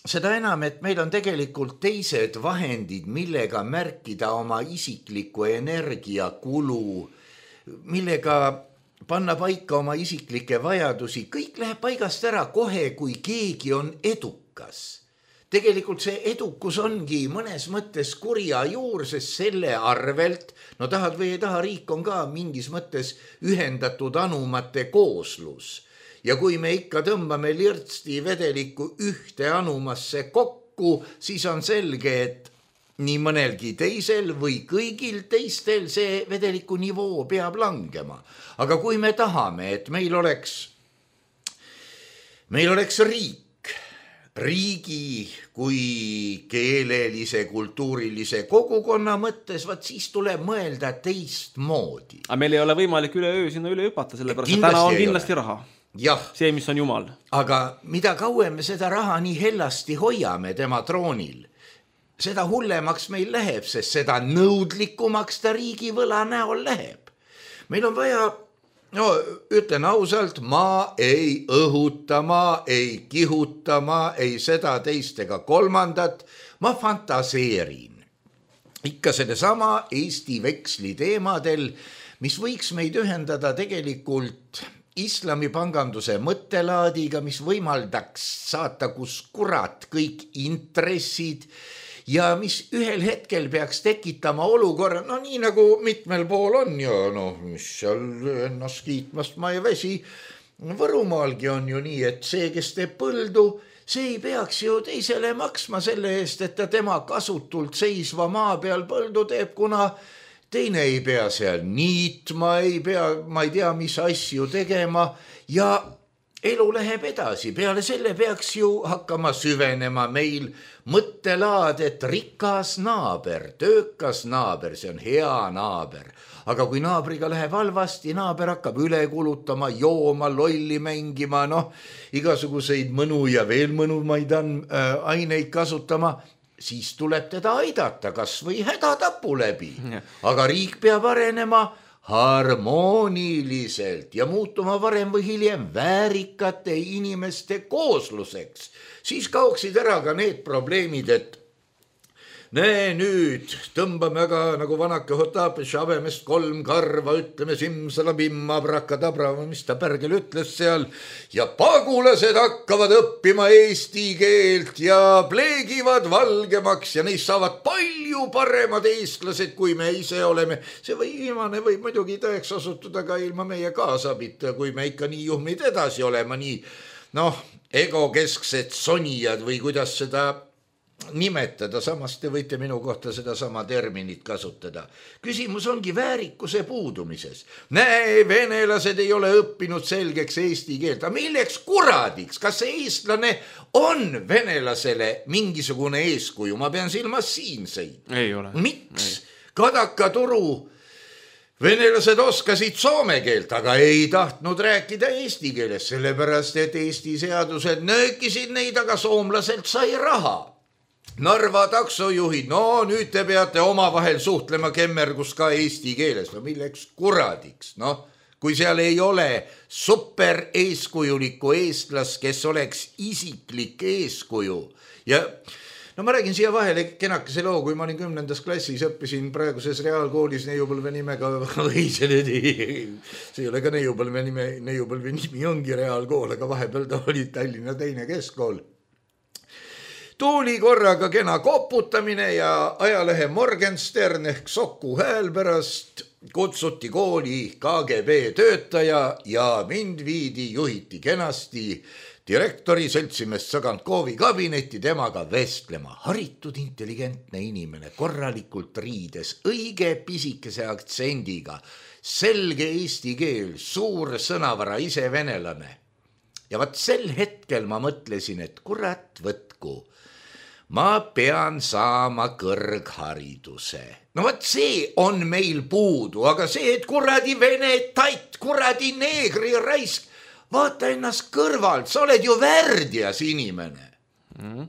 Seda enam, et meil on tegelikult teised vahendid, millega märkida oma isiklikku energiakulu, millega panna paika oma isiklikke vajadusi. Kõik läheb paigast ära kohe, kui keegi on edukas. Tegelikult see edukus ongi mõnes mõttes kurja juur, sest selle arvelt, no tahad või ei taha, riik on ka mingis mõttes ühendatud anumate kooslus. Ja kui me ikka tõmbame lirtsti vedeliku ühte anumasse kokku, siis on selge, et nii mõnelgi teisel või kõigil teistel see vedeliku nivoo peab langema. Aga kui me tahame, et meil oleks, meil oleks riik, riigi kui keelelise, kultuurilise kogukonna mõttes, vaat siis tuleb mõelda teist moodi. Aga meil ei ole võimalik üle öö sinna üle hüpata, sellepärast et täna on kindlasti raha. Jah. See, mis on Jumal. Aga mida kauem me seda raha nii hellasti hoiame tema troonil, seda hullemaks meil läheb, sest seda nõudlikumaks ta riigi võla näol läheb. Meil on vaja no ütlen ausalt, ma ei õhuta, ma ei kihuta, ma ei seda teist ega kolmandat, ma fantaseerin. Ikka selle sama Eesti veksli teemadel, mis võiks meid ühendada tegelikult islamipanganduse mõttelaadiga, mis võimaldaks saata kus kurat kõik intressid ja mis ühel hetkel peaks tekitama olukorra, no nii nagu mitmel pool on ja noh, mis seal ennast kiitmast ma ei väsi. Võrumaalgi on ju nii, et see, kes teeb põldu, see ei peaks ju teisele maksma selle eest, et ta tema kasutult seisva maa peal põldu teeb, kuna teine ei pea seal niitma, ei pea, ma ei tea, mis asju tegema ja elu läheb edasi. Peale selle peaks ju hakkama süvenema meil mõttelaad, et rikas naaber, töökas naaber, see on hea naaber. Aga kui naabriga läheb halvasti, naaber hakkab üle kulutama, jooma, lolli mängima, noh, igasuguseid mõnu ja veel mõnumaid on, äh, aineid kasutama, siis tuleb teda aidata kas või hädatapu läbi. Aga riik peab arenema harmooniliselt ja muutuma varem või hiljem väärikate inimeste koosluseks. Siis kaoksid ära ka need probleemid, et näe nüüd, tõmbame aga nagu vanake Hotapes Habemest kolm karva, ütleme simsalabimma, brakadabra, mis ta pärgel ütles seal, ja pagulased hakkavad õppima eesti keelt ja pleegivad valgemaks ja neist saavad palju paremad eestlased, kui me ise oleme. See või viimane võib muidugi tõeks osutuda ka ilma meie kaasabita, kui me ikka nii juhmid edasi olema, nii noh, egokesksed sonijad või kuidas seda nimetada, samas te võite minu kohta seda sama terminit kasutada. Küsimus ongi väärikuse puudumises. Näe, venelased ei ole õppinud selgeks eesti keelt. Aga milleks kuradiks? Kas see eestlane on venelasele mingisugune eeskuju? Ma pean silmas siinseid. Ei ole. Miks? Kadaka turu venelased oskasid soome keelt, aga ei tahtnud rääkida eesti keeles, sellepärast et Eesti seadused nöökisid neid, aga soomlaselt sai raha. Narva taksojuhid, no nüüd te peate omavahel suhtlema kemmergus ka eesti keeles. No milleks kuradiks, noh, kui seal ei ole super eeskujulikku eestlast, kes oleks isiklik eeskuju. Ja no ma räägin siia vahele kenakese loo, kui ma olin kümnendas klassis, õppisin praeguses reaalkoolis Neiupõlve nimega või see ei ole ka Neiupõlve nime, Neiupõlve nimi ongi reaalkool, aga vahepeal ta oli Tallinna teine keskkool. Tuuli korraga kena koputamine ja ajalehe Morgenstern ehk Soku hääl pärast kutsuti kooli K G B töötaja ja mind viidi, juhiti kenasti direktori seltsimest Sõgantkovi kabinetti temaga vestlema. Haritud intelligentne inimene, korralikult riides, õige pisikese aktsendiga, selge eesti keel, suur sõnavara, ise venelane. Ja vaat sel hetkel ma mõtlesin, et kurat võtku, ma pean saama kõrghariduse. No vaat see on meil puudu, aga see, et kuradi vene tait, kuradi neegri raisk, vaata ennast kõrvalt, sa oled ju värdjas inimene. Mm.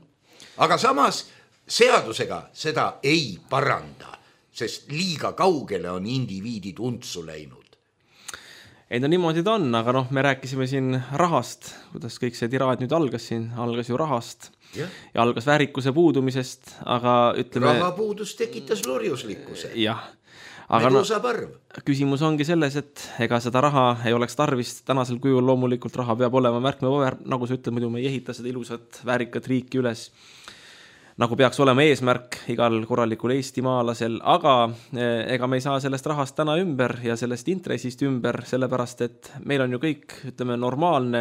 Aga samas seadusega seda ei paranda, sest liiga kaugele on indiviidid untsu läinud. Ei no niimoodi ta on, aga noh, me rääkisime siin rahast, kuidas kõik see tiraad nüüd algas siin, algas ju rahast ja, ja algas väärikuse puudumisest, aga ütleme... Rahapuudus tekitas lorjuslikkuse. Jah, aga no, parv. Küsimus ongi selles, et ega seda raha ei oleks tarvis tänasel kujul, loomulikult raha peab olema märkmepaber, nagu sa ütled, muidu me ei ehita seda ilusat väärikat riiki üles, nagu peaks olema eesmärk igal korralikul eestimaalasel, aga ega me ei saa sellest rahast täna ümber ja sellest intressist ümber, sellepärast, et meil on ju kõik, ütleme, normaalne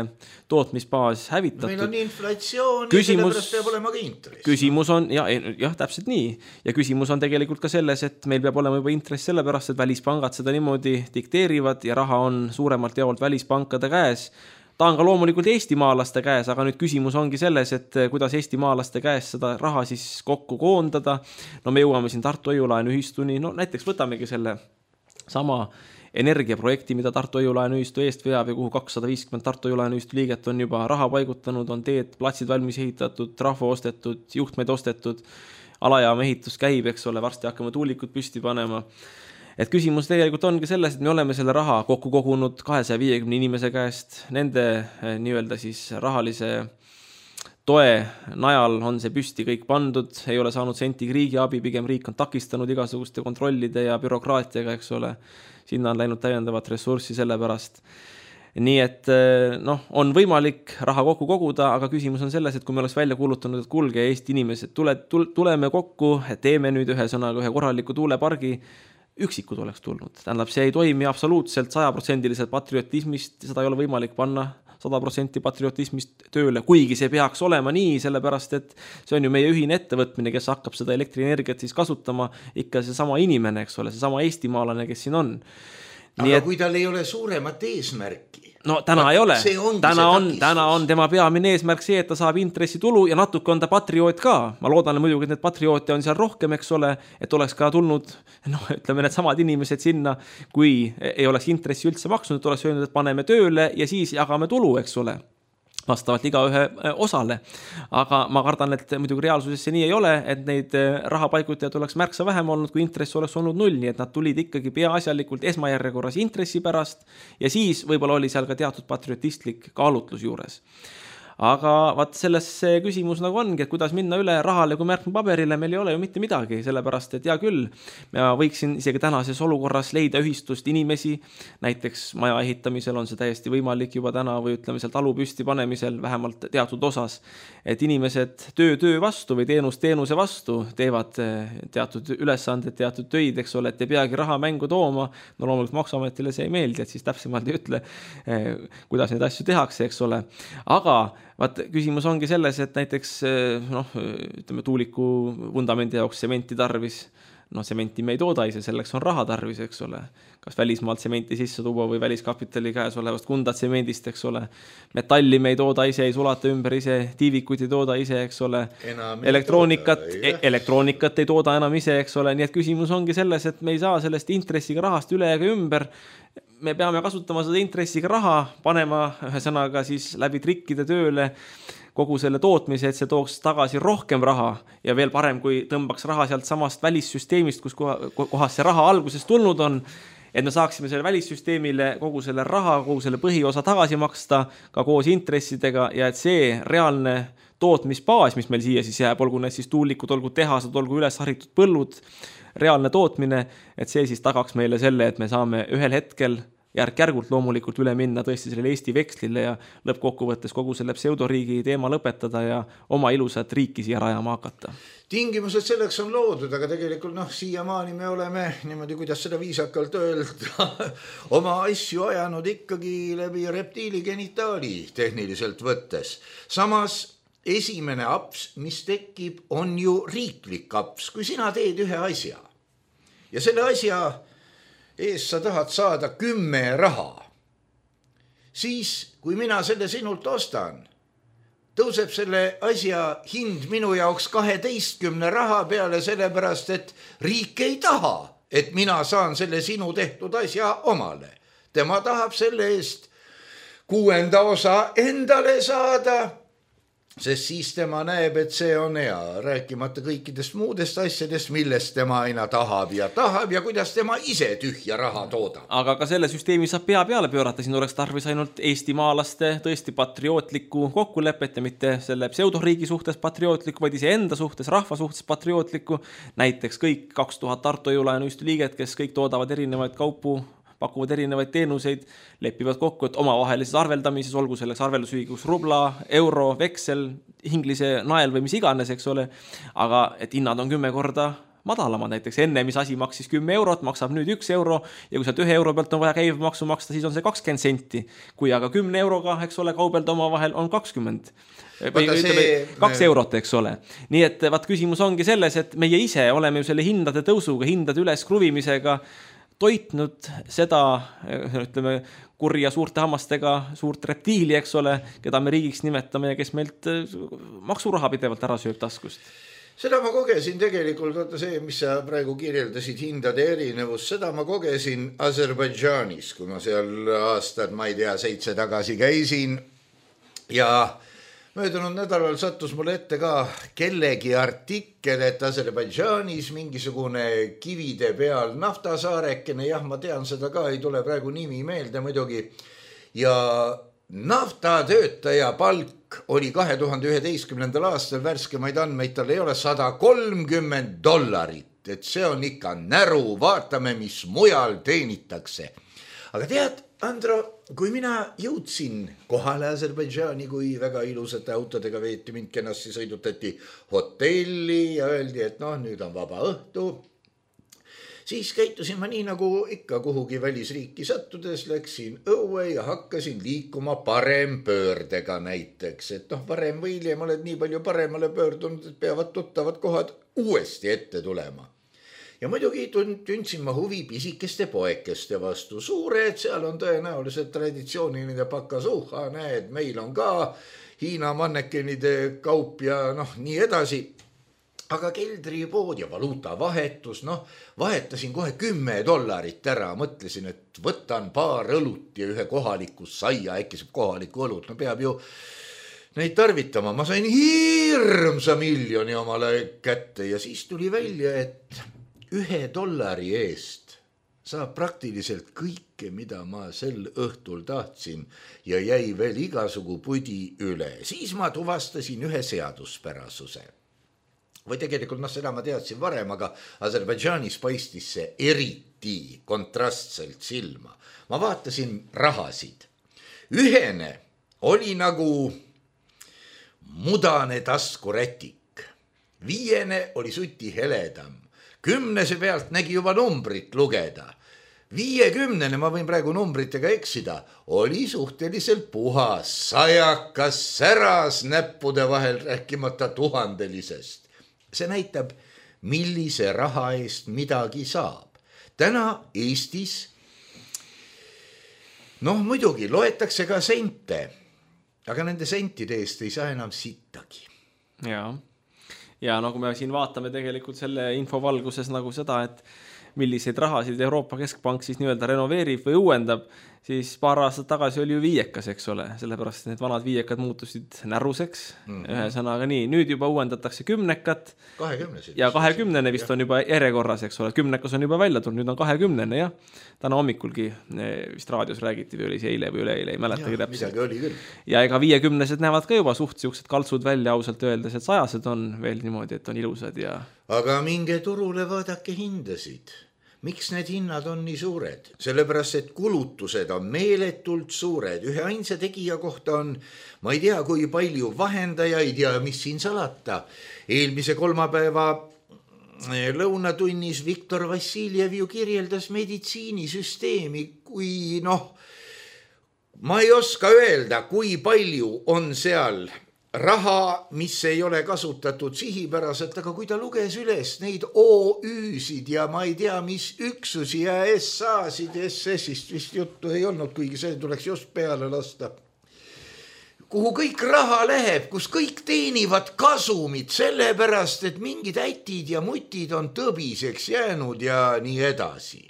tootmisbaas hävitatud. Meil on inflatsioon küsimus, ja sellepärast peab olema ka intress. Küsimus on, ja, jah, täpselt nii, ja küsimus on tegelikult ka selles, et meil peab olema juba intress sellepärast, et välispangad seda niimoodi dikteerivad ja raha on suuremalt jaolt välispankade käes. Ta on ka loomulikult eestimaalaste käes, aga nüüd küsimus ongi selles, et kuidas eestimaalaste käes seda raha siis kokku koondada. No me jõuame siin Tartu Hoiulaenu ühistuni, no näiteks võtamegi selle sama energiaprojekti, mida Tartu Hoiulaenu ühistu eest veab ja kuhu kakssada viiskümmend Tartu Hoiulaenu ühistu liiget on juba raha paigutanud, on teed, platsid valmis ehitatud, trahvo ostetud, juhtmeid ostetud, alajaama ehitus käib, eks ole, varsti hakkame tuulikud püsti panema. et küsimus tegelikult ongi selles, et me oleme selle raha kokku kogunud kahesaja viiekümne inimese käest, nende nii-öelda siis rahalise toe najal on see püsti kõik pandud, ei ole saanud sentigi riigi abi, pigem riik on takistanud igasuguste kontrollide ja bürokraatiaga, eks ole. Sinna on läinud täiendavat ressurssi selle pärast. Nii et noh, on võimalik raha kokku koguda, aga küsimus on selles, et kui me oleks välja kuulutanud, et kulge Eesti inimesed, tule, tuleme kokku, teeme nüüd ühe sõnaga ühe korraliku tuulepargi, üksikud oleks tulnud. Tähendab, see ei toimi absoluutselt sajaprotsendiliselt patriotismist, seda ei ole võimalik panna sada protsenti patriotismist tööle, kuigi see peaks olema nii, sellepärast et see on ju meie ühine ettevõtmine, kes hakkab seda elektrienergiat siis kasutama, ikka see sama inimene, eks ole, see sama eestimaalane, kes siin on. Nii aga et, kui tal ei ole suuremat eesmärki? No täna ei ole, täna on, täna on tema peamine eesmärk see, et ta saab intressitulu ja natuke on ta patrioot ka. Ma loodan muidugi, et need patrioote on seal rohkem, eks ole, et oleks ka tulnud, noh, ütleme need samad inimesed sinna, kui ei oleks intressi üldse maksnud, et oleks öelnud, et paneme tööle ja siis jagame tulu, eks ole. Vastavalt iga ühe osale. Aga ma kardan, et muidugi reaalsuses see nii ei ole, et neid rahapaigutajad oleks märksa vähem olnud, kui intress oleks olnud null, nii et nad tulid ikkagi peaasjalikult esmajärjekorras intressi pärast ja siis võib-olla oli seal ka teatud patriotistlik kaalutlus juures. Aga vaat selles see küsimus nagu ongi, et kuidas minna üle rahale kui märkme paberile, meil ei ole ju mitte midagi, sellepärast et hea küll, ma võiksin isegi tänases olukorras leida ühistust inimesi, näiteks maja ehitamisel on see täiesti võimalik juba täna või ütleme seal talu püsti panemisel vähemalt teatud osas, et inimesed töö töö vastu või teenus teenuse vastu teevad teatud ülesanded, teatud töid, eks ole, et ei peagi raha mängu tooma, no loomulikult maksuametile see ei meeldi, et siis täpsemalt ei ütle, kuidas neid asju tehakse, eks ole, aga vaat küsimus ongi selles, et näiteks noh, ütleme tuuliku vundamendi jaoks sementi tarvis, no sementi me ei tooda ise, selleks on raha tarvis, eks ole, kas välismaalt sementi sisse tuua või väliskapitali käes olevast kundat semendist, eks ole, metalli me ei tooda ise, ei sulata ümber ise, tiivikuid ei tooda ise, eks ole, elektroonikat, e elektroonikat ei tooda enam ise, eks ole, nii et küsimus ongi selles, et me ei saa sellest intressiga rahast üle ega ümber, me peame kasutama seda intressiga raha, panema ühe sõnaga siis läbi trikkide tööle kogu selle tootmise, et see tooks tagasi rohkem raha ja veel parem, kui tõmbaks raha sealt samast välissüsteemist, kus kohas see raha alguses tulnud on, et me saaksime selle välissüsteemile kogu selle raha, kogu selle põhiosa tagasi maksta ka koos intressidega ja et see reaalne tootmisbaas, mis meil siia siis jääb, olgu need siis tuulikud, olgu tehased, olgu üles haritud põllud, reaalne tootmine, et see siis tagaks meile selle, et me saame ühel hetkel järk-järgult loomulikult üle minna tõesti sellele Eesti vekslile ja lõppkokkuvõttes kogu selle pseudoriigi teema lõpetada ja oma ilusat riiki siia rajama hakata. Tingimused selleks on loodud, aga tegelikult noh, siiamaani me oleme niimoodi, kuidas seda viisakalt öelda, oma asju ajanud ikkagi läbi reptiili genitaali tehniliselt võttes. Samas esimene aps, mis tekib, on ju riiklik aps, kui sina teed ühe asja ja selle asja ees sa tahad saada kümme raha, siis kui mina selle sinult ostan, tõuseb selle asja hind minu jaoks kaheteistkümne raha peale, sellepärast et riik ei taha, et mina saan selle sinu tehtud asja omale. Tema tahab selle eest kuuenda osa endale saada, sest siis tema näeb, et see on hea, rääkimata kõikidest muudest asjadest, millest tema aina tahab ja tahab ja kuidas tema ise tühja raha toodab. Aga ka selle süsteemi saab pea peale pöörata, siin oleks tarvis ainult eestimaalaste tõesti patriootlikku kokkulepet ja mitte selle pseudoriigi suhtes patriootlikku, vaid ise enda suhtes, rahva suhtes patriootlikku. Näiteks kõik kaks tuhat Tartu Jõulajanoüstu liiget, kes kõik toodavad erinevaid kaupu, pakuvad erinevaid teenuseid, lepivad kokku, et omavahelises arveldamises, olgu selleks arveldusühikus rubla, euro, veksel, inglise nael või mis iganes, eks ole, aga et hinnad on kümme korda madalamad, näiteks enne, mis asi maksis kümme eurot, maksab nüüd üks euro ja kui sealt ühe euro pealt on vaja käibemaksu maksta, siis on see kakskümmend senti. Kui aga kümne euroga, eks ole, kaubelda omavahel on kakskümmend. Või ütleme, kaks eurot, eks ole. Nii et vaat küsimus ongi selles, et meie ise oleme ju selle hindade tõusuga, hindade üles kruvimisega toitnud seda, ütleme, kurja suurte hammastega suurt reptiili, eks ole, keda me riigiks nimetame ja kes meilt maksuraha pidevalt ära sööb taskust. Seda ma kogesin tegelikult, vaata see, mis sa praegu kirjeldasid, hindade erinevus, seda ma kogesin Aserbaidžaanis, kui ma seal aastad, ma ei tea, seitse tagasi käisin ja möödunud nädalal sattus mulle ette ka kellegi artikkel, et Aserbaidžaanis mingisugune kivide peal naftasaarekene, jah, ma tean seda ka, ei tule praegu nimi meelde muidugi, ja naftatöötaja palk oli kahe tuhande üheteistkümnendal aastal, värskemaid andmeid tal ei ole, sada kolmkümmend dollarit, et see on ikka näru, vaatame, mis mujal teenitakse. Aga tead, Andro, kui mina jõudsin kohale Aserbaidžaani, kui väga ilusate autodega veeti, mind kenasti sõidutati hotelli ja öeldi, et noh, nüüd on vaba õhtu, siis käitusin ma nii nagu ikka kuhugi välisriiki sattudes, läksin õue ja hakkasin liikuma parempöördega näiteks, et noh, varem või hiljem oled nii palju paremale pöördunud, et peavad tuttavad kohad uuesti ette tulema. Ja muidugi tundsin ma huvi pisikeste poekeste vastu. Suured, seal on tõenäoliselt traditsiooniline pakasuha, näed, meil on ka Hiina mannekenide kaup ja noh, nii edasi. Aga keldripood ja valuuta vahetus, noh, vahetasin kohe kümme dollarit ära, mõtlesin, et võtan paar õlut ja ühe kohaliku saia, äkki saab kohaliku õlut, no peab ju neid tarvitama. Ma sain hirmsa miljoni omale kätte ja siis tuli välja, et ühe dollari eest saab praktiliselt kõike, mida ma sel õhtul tahtsin ja jäi veel igasugu pudi üle. Siis ma tuvastasin ühe seaduspärasuse. Või tegelikult noh, seda ma teadsin varem, aga Aserbaidžaanis paistis see eriti kontrastselt silma. Ma vaatasin rahasid. Ühene oli nagu mudane taskurätik. Viiene oli suti heledam. Kümnese pealt nägi juba numbrit lugeda. Viiekümnene, ma võin praegu numbritega eksida, oli suhteliselt puhas, sajakas säras näppude vahel, rääkimata tuhandelisest. See näitab, millise raha eest midagi saab. Täna Eestis, noh muidugi, loetakse ka sente, aga nende sentide eest ei saa enam sittagi. Jaa. Ja no kui me siin vaatame tegelikult selle info valguses nagu seda, et milliseid rahasid Euroopa Keskpank siis nii-öelda renoveerib või uuendab, siis paar aastat tagasi oli ju viiekas, eks ole, sellepärast need vanad viiekad muutusid näruseks, mm-hmm. ühe sõnaga nii, nüüd juba uuendatakse kümnekat kahekümnesid. Ja kahekümnene vist ja. On juba järjekorras, eks ole, kümnekas on juba välja tulnud, nüüd on kahekümnene, jah. Täna hommikulgi vist raadios räägiti või oli see eile või üleeile, ei mäletagi täpselt. Midagi oli küll. Ja ega viiekümnesed näevad ka juba suht siuksed kaltsud välja ausalt öeldes, et sajased on veel niimoodi, et on ilusad ja... Aga minge turule vaadake hindasid. Miks need hinnad on nii suured? Sellepärast, et kulutused on meeletult suured. Ühe ainsa tegija kohta on, ma ei tea, kui palju vahendajaid ja mis siin salata. Eelmise kolmapäeva lõunatunnis Viktor Vassiljev ju kirjeldas meditsiinisüsteemi, kui noh, ma ei oska öelda, kui palju on seal raha, mis ei ole kasutatud sihipäraselt, aga kui ta luges üles neid O Ü-sid ja ma ei tea, mis üksusi ja S A-sid, S S-ist vist juttu ei olnud, kuigi see tuleks just peale lasta. Kuhu kõik raha läheb, kus kõik teenivad kasumid, sellepärast, et mingid ätid ja mutid on tõbiseks jäänud ja nii edasi.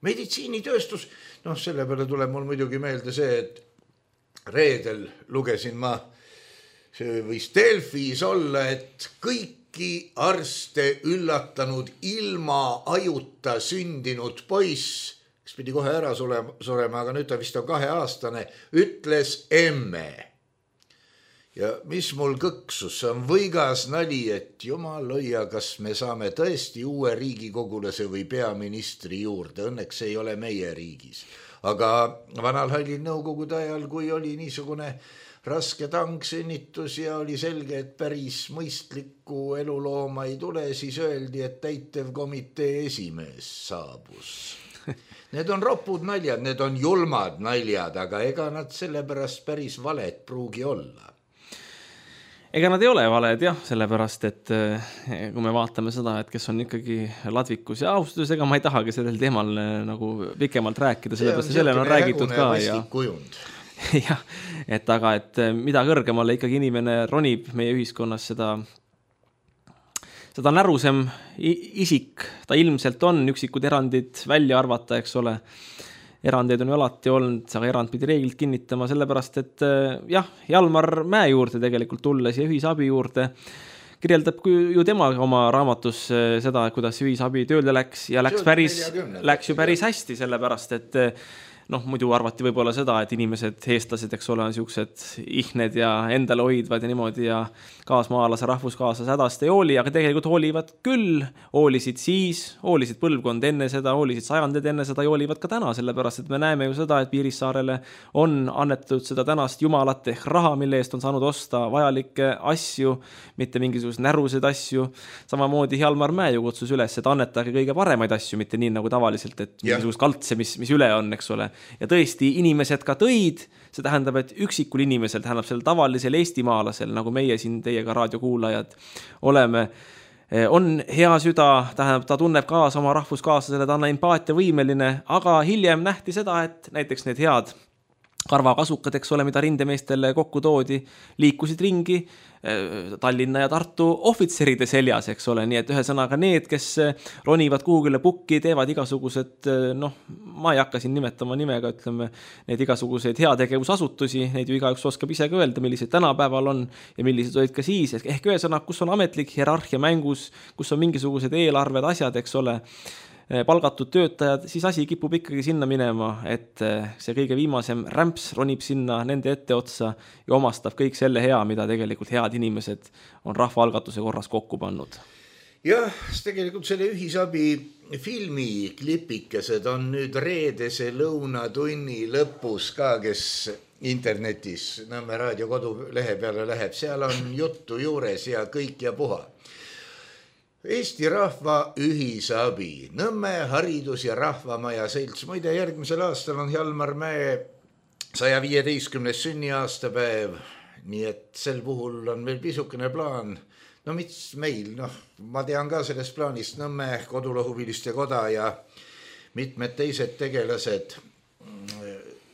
Meditsiinitööstus, noh, selle peale tuleb mul muidugi meelde see, et reedel lugesin ma see võis Delfis olla, et kõiki arste üllatanud ilma ajuta sündinud poiss, kes pidi kohe ära surema, aga nüüd ta vist on kaheaastane, ütles emme. Ja mis mul kõksus, on võigas nali, et jumal hoia, kas me saame tõesti uue riigikogulase või peaministri juurde. Õnneks ei ole meie riigis. Aga vanal hallil nõukogude ajal, kui oli niisugune raske tangsünnitus ja oli selge, et päris mõistlikku elulooma ei tule, siis öeldi, et täitevkomitee esimees saabus. Need on ropud naljad, need on julmad naljad, aga ega nad sellepärast päris valed pruugi olla. Ega nad ei ole valed, jah, sellepärast, et kui me vaatame seda, et kes on ikkagi ladvikus ja austus, ega ma ei tahagi sellel teemal nagu pikemalt rääkida, sellepärast selle on räägitud ka. Ja jah, et aga, et mida kõrgemale ikkagi inimene ronib meie ühiskonnas, seda, seda närusem isik ta ilmselt on, üksikud erandid välja arvata, eks ole. erandeid on ju alati olnud, aga erand pidi reeglilt kinnitama, sellepärast et jah, Jalmar Mäe juurde tegelikult tulles ja ühisabi juurde kirjeldab ju tema oma raamatus seda, kuidas ühisabi tööle läks ja läks, päris, läks ju päris hästi, sellepärast et noh, muidu arvati võib-olla seda, et inimesed, eestlased, eks ole, on siuksed ihned ja endale hoidvad ja niimoodi ja kaasmaalase, rahvuskaaslase hädast ei hooli, aga tegelikult hoolivad küll, hoolisid siis, hoolisid põlvkond enne seda, hoolisid sajandid enne seda ja hoolivad ka täna, sellepärast et me näeme ju seda, et Piirissaarele on annetatud seda tänast jumalat ehk raha, mille eest on saanud osta vajalikke asju, mitte mingisugused närused asju. Samamoodi Jalmar Mäe ju kutsus üles, et annetage kõige paremaid asju, mitte nii nagu tavaliselt, et mingisugust kaldse, mis, mis üle on, eks ole. Ja tõesti, inimesed ka tõid, see tähendab, et üksikul inimesel, tähendab sellel tavalisel eestimaalasel, nagu meie siin teiega raadiokuulajad oleme, on hea süda, tähendab, ta tunneb kaasa oma rahvuskaaslasele, ta on empaatia võimeline, aga hiljem nähti seda, et näiteks need head karvakasukad, eks ole, mida rindemeestele kokku toodi, liikusid ringi Tallinna ja Tartu ohvitseride seljas, eks ole, nii et ühesõnaga need, kes ronivad kuhugile pukki, teevad igasugused, noh, ma ei hakka siin nimetama nimega, ütleme, need igasuguseid heategevusasutusi, neid ju igaüks oskab ise ka öelda, millised tänapäeval on ja millised olid ka siis, ehk ühesõnaga, kus on ametlik hierarhia mängus, kus on mingisugused eelarved, asjad, eks ole, palgatud töötajad, siis asi kipub ikkagi sinna minema, et see kõige viimasem rämps ronib sinna nende ette otsa ja omastab kõik selle hea, mida tegelikult head inimesed on rahvaalgatuse korras kokku pannud. Jah, tegelikult selle ühisabi filmi klipikesed on nüüd reedese lõunatunni lõpus ka, kes internetis Nõmme raadio kodulehe peale läheb, seal on juttu juures ja kõik ja puha. Eesti Rahva Ühisabi, Nõmme haridus- ja rahvamaja selts. Muide, järgmisel aastal on Jalmar Mäe saja viieteistkümnes sünniaastapäev, nii et sel puhul on meil pisukene plaan. No mis meil, noh, ma tean ka sellest plaanist Nõmme kodulohuviliste koda ja mitmed teised tegelased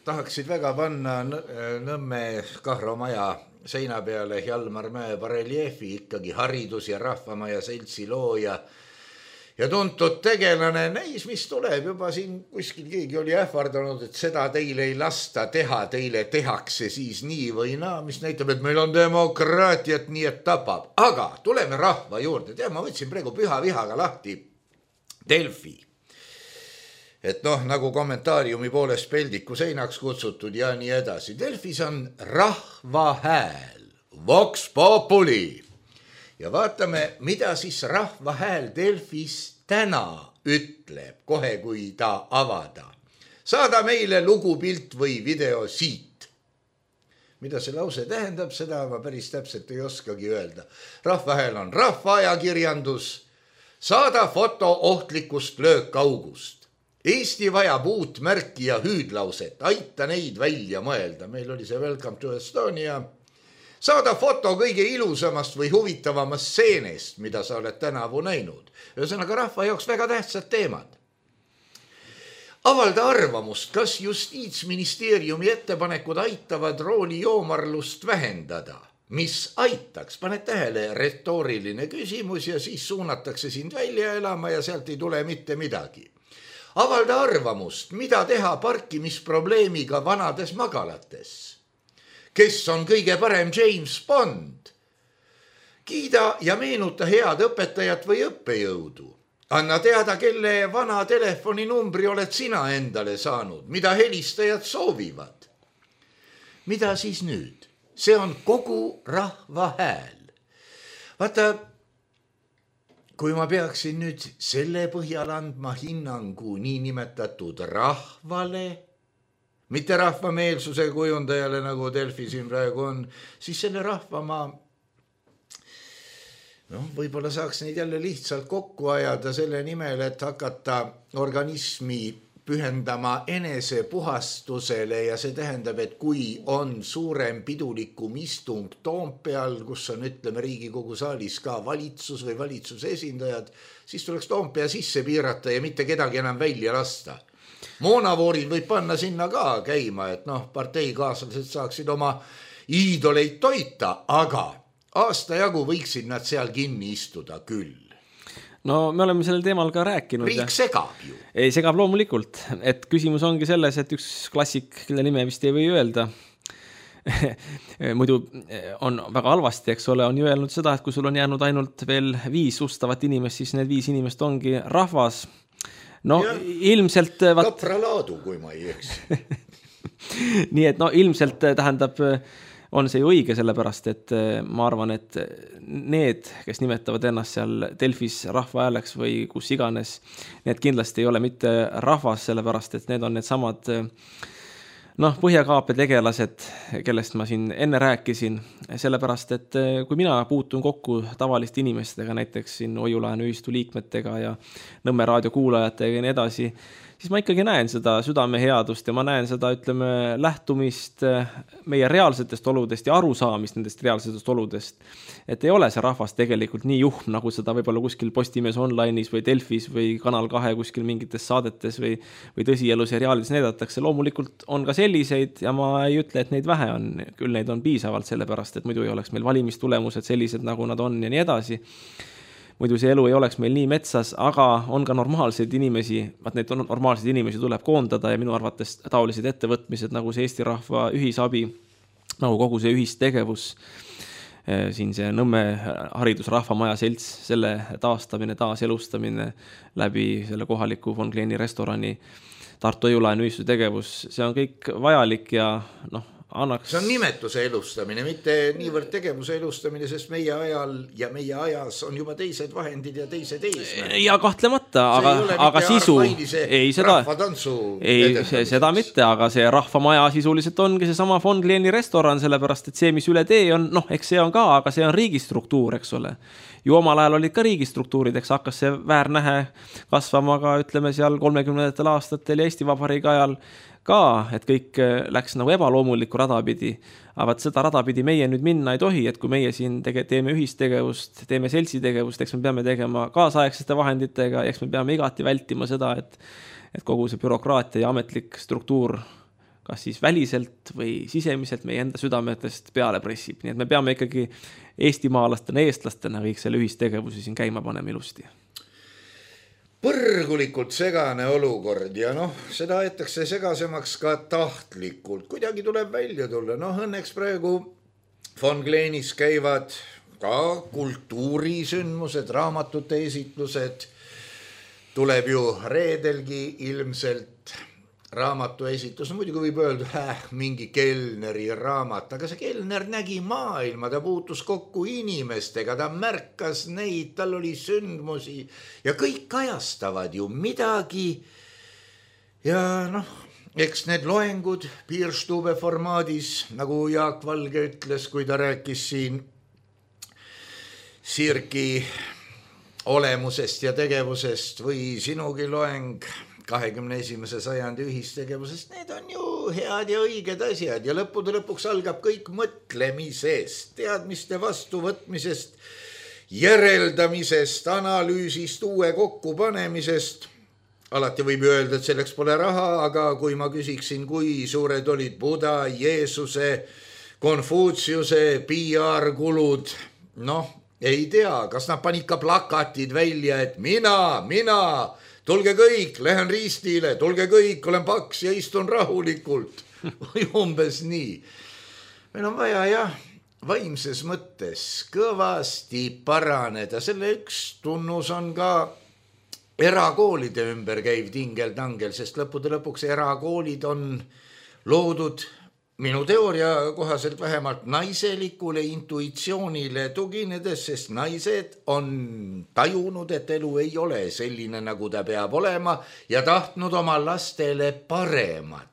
tahaksid väga panna Nõmme Kahro maja seina peale Jalmar Mäe bareljeefi, ikkagi haridus- ja rahvamaja seltsi looja ja tuntud tegelane. Näis, mis tuleb juba siin kuskil keegi oli ähvardanud, et seda teile ei lasta teha, teile tehakse siis nii või naa, mis näitab, et meil on demokraatiat, nii et tapab. Aga tuleme rahva juurde. Tea, ma võtsin praegu püha vihaga lahti Delfi. Et noh, nagu kommentaariumi poolest peldiku seinaks kutsutud ja nii edasi. Delfis on rahva hääl, Vox Populi. Ja vaatame, mida siis rahva hääl Delfis täna ütleb, kohe kui ta avada. Saada meile lugupilt või video siit. Mida see lause tähendab, seda ma päris täpselt ei oskagi öelda. Rahva hääl on rahvaajakirjandus. Saada foto ohtlikust löökaugust. Eesti vajab uut märki ja hüüdlauset, aita neid välja mõelda. Meil oli see Welcome to Estonia. Saada foto kõige ilusamast või huvitavamast seenest, mida sa oled tänavu näinud. Ühesõnaga rahva jaoks väga tähtsad teemad. Avalda arvamust, kas Justiitsministeeriumi ettepanekud aitavad rooli joomarlust vähendada. Mis aitaks? Paned tähele, retooriline küsimus ja siis suunatakse sind välja elama ja sealt ei tule mitte midagi. Avalda arvamust, mida teha parkimisprobleemiga vanades magalates. Kes on kõige parem James Bond? Kiida ja meenuta head õpetajat või õppejõudu. Anna teada, kelle vana telefoninumbri oled sina endale saanud, mida helistajad soovivad. Mida siis nüüd? See on kogu rahva hääl. Vaata, kui ma peaksin nüüd selle põhjal andma hinnangu niinimetatud rahvale, mitte rahvameelsuse kujundajale, nagu Delfi siin praegu on, siis selle rahva ma, noh, võib-olla saaks neid jälle lihtsalt kokku ajada selle nimel, et hakata organismi pühendama enesepuhastusele ja see tähendab, et kui on suurem pidulikum istung Toompeal, kus on, ütleme, Riigikogu saalis ka valitsus või valitsuse esindajad, siis tuleks Toompea sisse piirata ja mitte kedagi enam välja lasta. Moonavoorid võib panna sinna ka käima, et noh, parteikaaslased saaksid oma iidoleid toita, aga aasta jagu võiksid nad seal kinni istuda küll. no me oleme sellel teemal ka rääkinud. Riik segab ju. Ei, segab loomulikult, et küsimus ongi selles, et üks klassik, kelle nime vist ei või öelda, muidu on väga halvasti, eks ole, on ju öelnud seda, et kui sul on jäänud ainult veel viis ustavat inimest, siis need viis inimest ongi rahvas. No ja, ilmselt... Kapralaadu, kui ma ei eks. Nii et no ilmselt tähendab... on see ju õige sellepärast, et ma arvan, et need, kes nimetavad ennast seal Delfis rahva hääleks või kus iganes, need kindlasti ei ole mitte rahvas, sellepärast, et need on need samad noh, põhjakaape tegelased, kellest ma siin enne rääkisin, sellepärast, et kui mina puutun kokku tavaliste inimestega, näiteks siin Ojulaenu ühistu liikmetega ja Nõmme raadio kuulajatega ja nii edasi, siis ma ikkagi näen seda südame headust ja ma näen seda, ütleme, lähtumist meie reaalsetest oludest ja arusaamist nendest reaalsetest oludest. Et ei ole see rahvas tegelikult nii juhm, nagu seda võib-olla kuskil Postimees online'is või Delfis või Kanal kahe kuskil mingites saadetes või, või tõsielu seriaalides näidatakse. Loomulikult on ka selliseid ja ma ei ütle, et neid vähe on. Küll neid on piisavalt sellepärast, et muidu ei oleks meil valimistulemused sellised, nagu nad on ja nii edasi. Muidu see elu ei oleks meil nii metsas, aga on ka normaalseid inimesi, vaat neid normaalseid inimesi tuleb koondada ja minu arvates taolised ettevõtmised, nagu see Eesti rahva ühisabi, nagu kogu see ühistegevus, siin see Nõmme haridusrahvamaja selts, selle taastamine, taaselustamine läbi selle kohaliku Von Kleeni restorani, Tartu Ojulaenu ühistu tegevus, see on kõik vajalik ja noh, annaks... See on nimetuse elustamine, mitte niivõrd tegevuse elustamine, sest meie ajal ja meie ajas on juba teised vahendid ja teised eesmärgid. Ja kahtlemata, aga, aga sisu... Ei, seda, ei, seda mitte, aga see rahvamaja sisuliselt ongi see sama Von Kleeni restoran, sellepärast, et see, mis üle tee on, noh, eks see on ka, aga see on riigistruktuur, eks ole. Ju omal ajal olid ka riigistruktuurid, eks hakkas see väärnähe kasvama ka, ütleme, seal kolmekümnendatel aastatel ja Eesti Vabariigi ajal ka, et kõik läks nagu ebaloomulikku radapidi, aga seda radapidi meie nüüd minna ei tohi, et kui meie siin tege, teeme ühistegevust, teeme seltsitegevust, eks me peame tegema kaasaegsete vahenditega, eks me peame igati vältima seda, et, et kogu see bürokraatia ja ametlik struktuur kas siis väliselt või sisemiselt meie enda südametest peale pressib, nii et me peame ikkagi eestimaalastena, eestlastena kõik selle ühistegevusi siin käima panema ilusti. Põrgulikult segane olukord ja noh, seda aetakse segasemaks ka tahtlikult. Kuidagi tuleb välja tulla. Noh, õnneks praegu Von Kleenis käivad ka kultuurisündmused, raamatute esitlused. Tuleb ju reedelgi ilmselt raamatu esitus. No, muidugi võib öelda, äh, mingi Kellneri raamat, aga see Kellner nägi maailma, ta puutus kokku inimestega, ta märkas neid, tal oli sündmusi ja kõik kajastavad ju midagi. Ja noh, eks need loengud Piirstube formaadis, nagu Jaak Valge ütles, kui ta rääkis siin Sirki olemusest ja tegevusest või sinugi loeng kahekümne esimese sajandi ühistegevusest, need on ju head ja õiged asjad ja lõppude lõpuks algab kõik mõtlemisest, teadmiste vastuvõtmisest, järeldamisest, analüüsist, uue kokkupanemisest. Alati võib öelda, et selleks pole raha, aga kui ma küsiksin, kui suured olid Buda, Jeesuse, Konfutsiuse P R-kulud, noh, ei tea, kas nad panid ka plakatid välja, et mina, mina, tulge kõik, lähen riistile, tulge kõik, olen paks ja istun rahulikult. Või umbes nii. Meil on vaja jah, vaimses mõttes kõvasti paraneda. Selle üks tunnus on ka erakoolide ümber käiv tingel-tangel, sest lõppude lõpuks erakoolid on loodud minu teooria kohaselt vähemalt naiselikule intuitsioonile tuginedes, sest naised on tajunud, et elu ei ole selline, nagu ta peab olema ja tahtnud oma lastele paremat.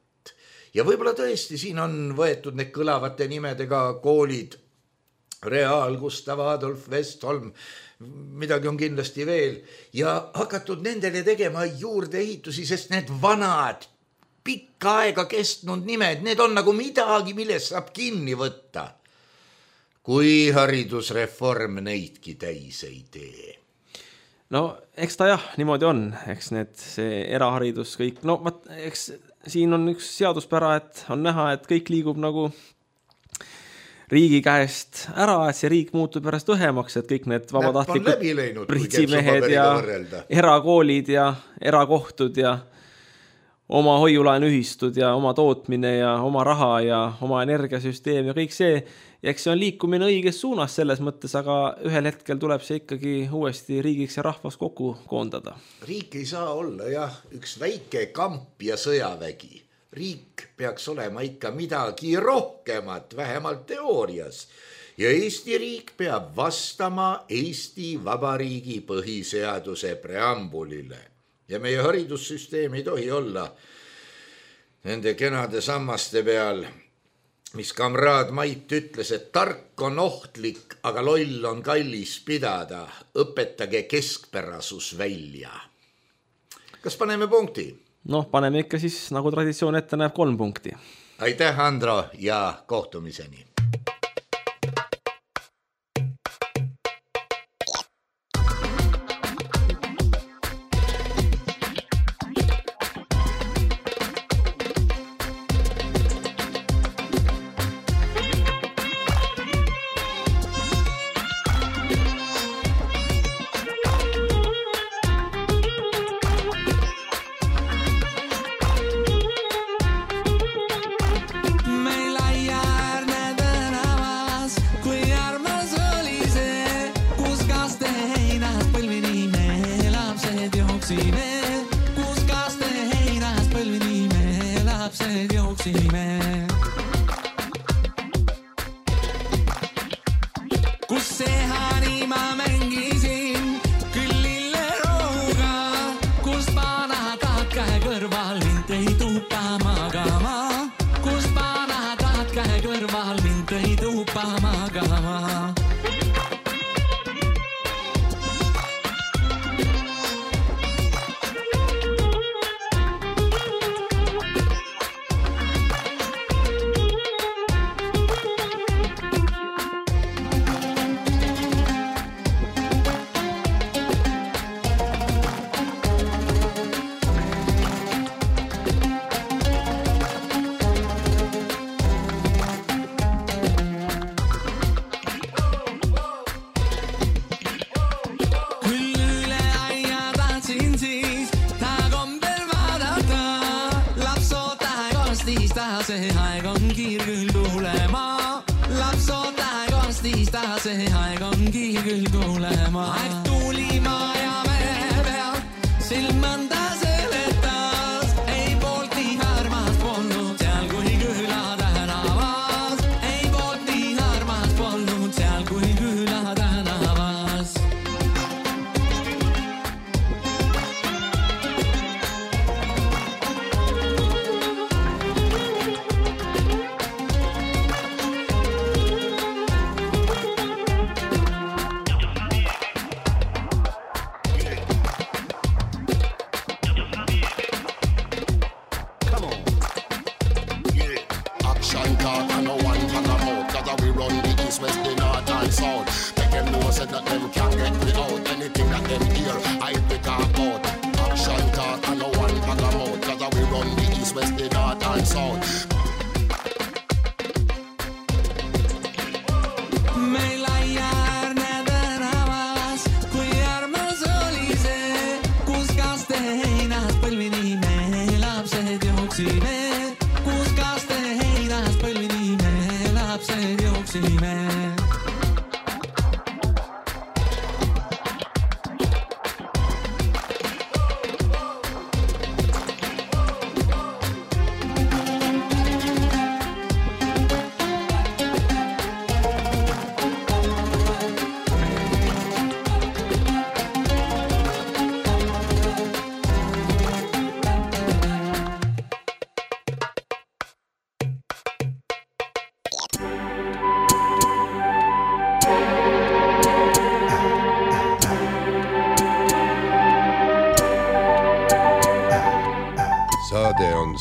Ja võib-olla tõesti siin on võetud need kõlavate nimedega koolid, Real, Gustav Adolf, Westholm, midagi on kindlasti veel ja hakatud nendele tegema juurdeehitusi, sest need vanad pikka aega kestnud nimed, need on nagu midagi, millest saab kinni võtta. Kui haridusreform neidki täis ei tee. No, eks ta jah, niimoodi on, eks need, see eraharidus kõik, no vaat, eks siin on üks seaduspära, et on näha, et kõik liigub nagu riigi käest ära, et see riik muutub pärast õhemaks, et kõik need vabatahtlikud pritsimehed ja erakoolid ja erakohtud ja oma hoiulaenuühistud ja oma tootmine ja oma raha ja oma energiasüsteem ja kõik see, ja eks see on liikumine õiges suunas selles mõttes, aga ühel hetkel tuleb see ikkagi uuesti riigiks ja rahvas kokku koondada. Riik ei saa olla jah, üks väike kamp ja sõjavägi. Riik peaks olema ikka midagi rohkemat, vähemalt teoorias. Ja Eesti riik peab vastama Eesti Vabariigi põhiseaduse preambulile. Ja meie haridussüsteem ei tohi olla nende kenade sammaste peal, mis kamraad Mait ütles, et tark on ohtlik, aga loll on kallis pidada. Õpetage keskpärasus välja. Kas paneme punkti? Noh, paneme ikka siis, nagu traditsioon ette näeb, kolm punkti. Aitäh, Andro, ja kohtumiseni.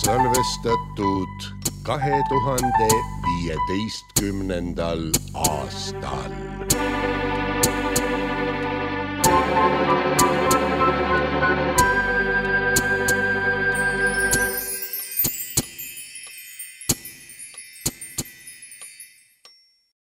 salvestatud kahe tuhande viieteistkümnendal aastal.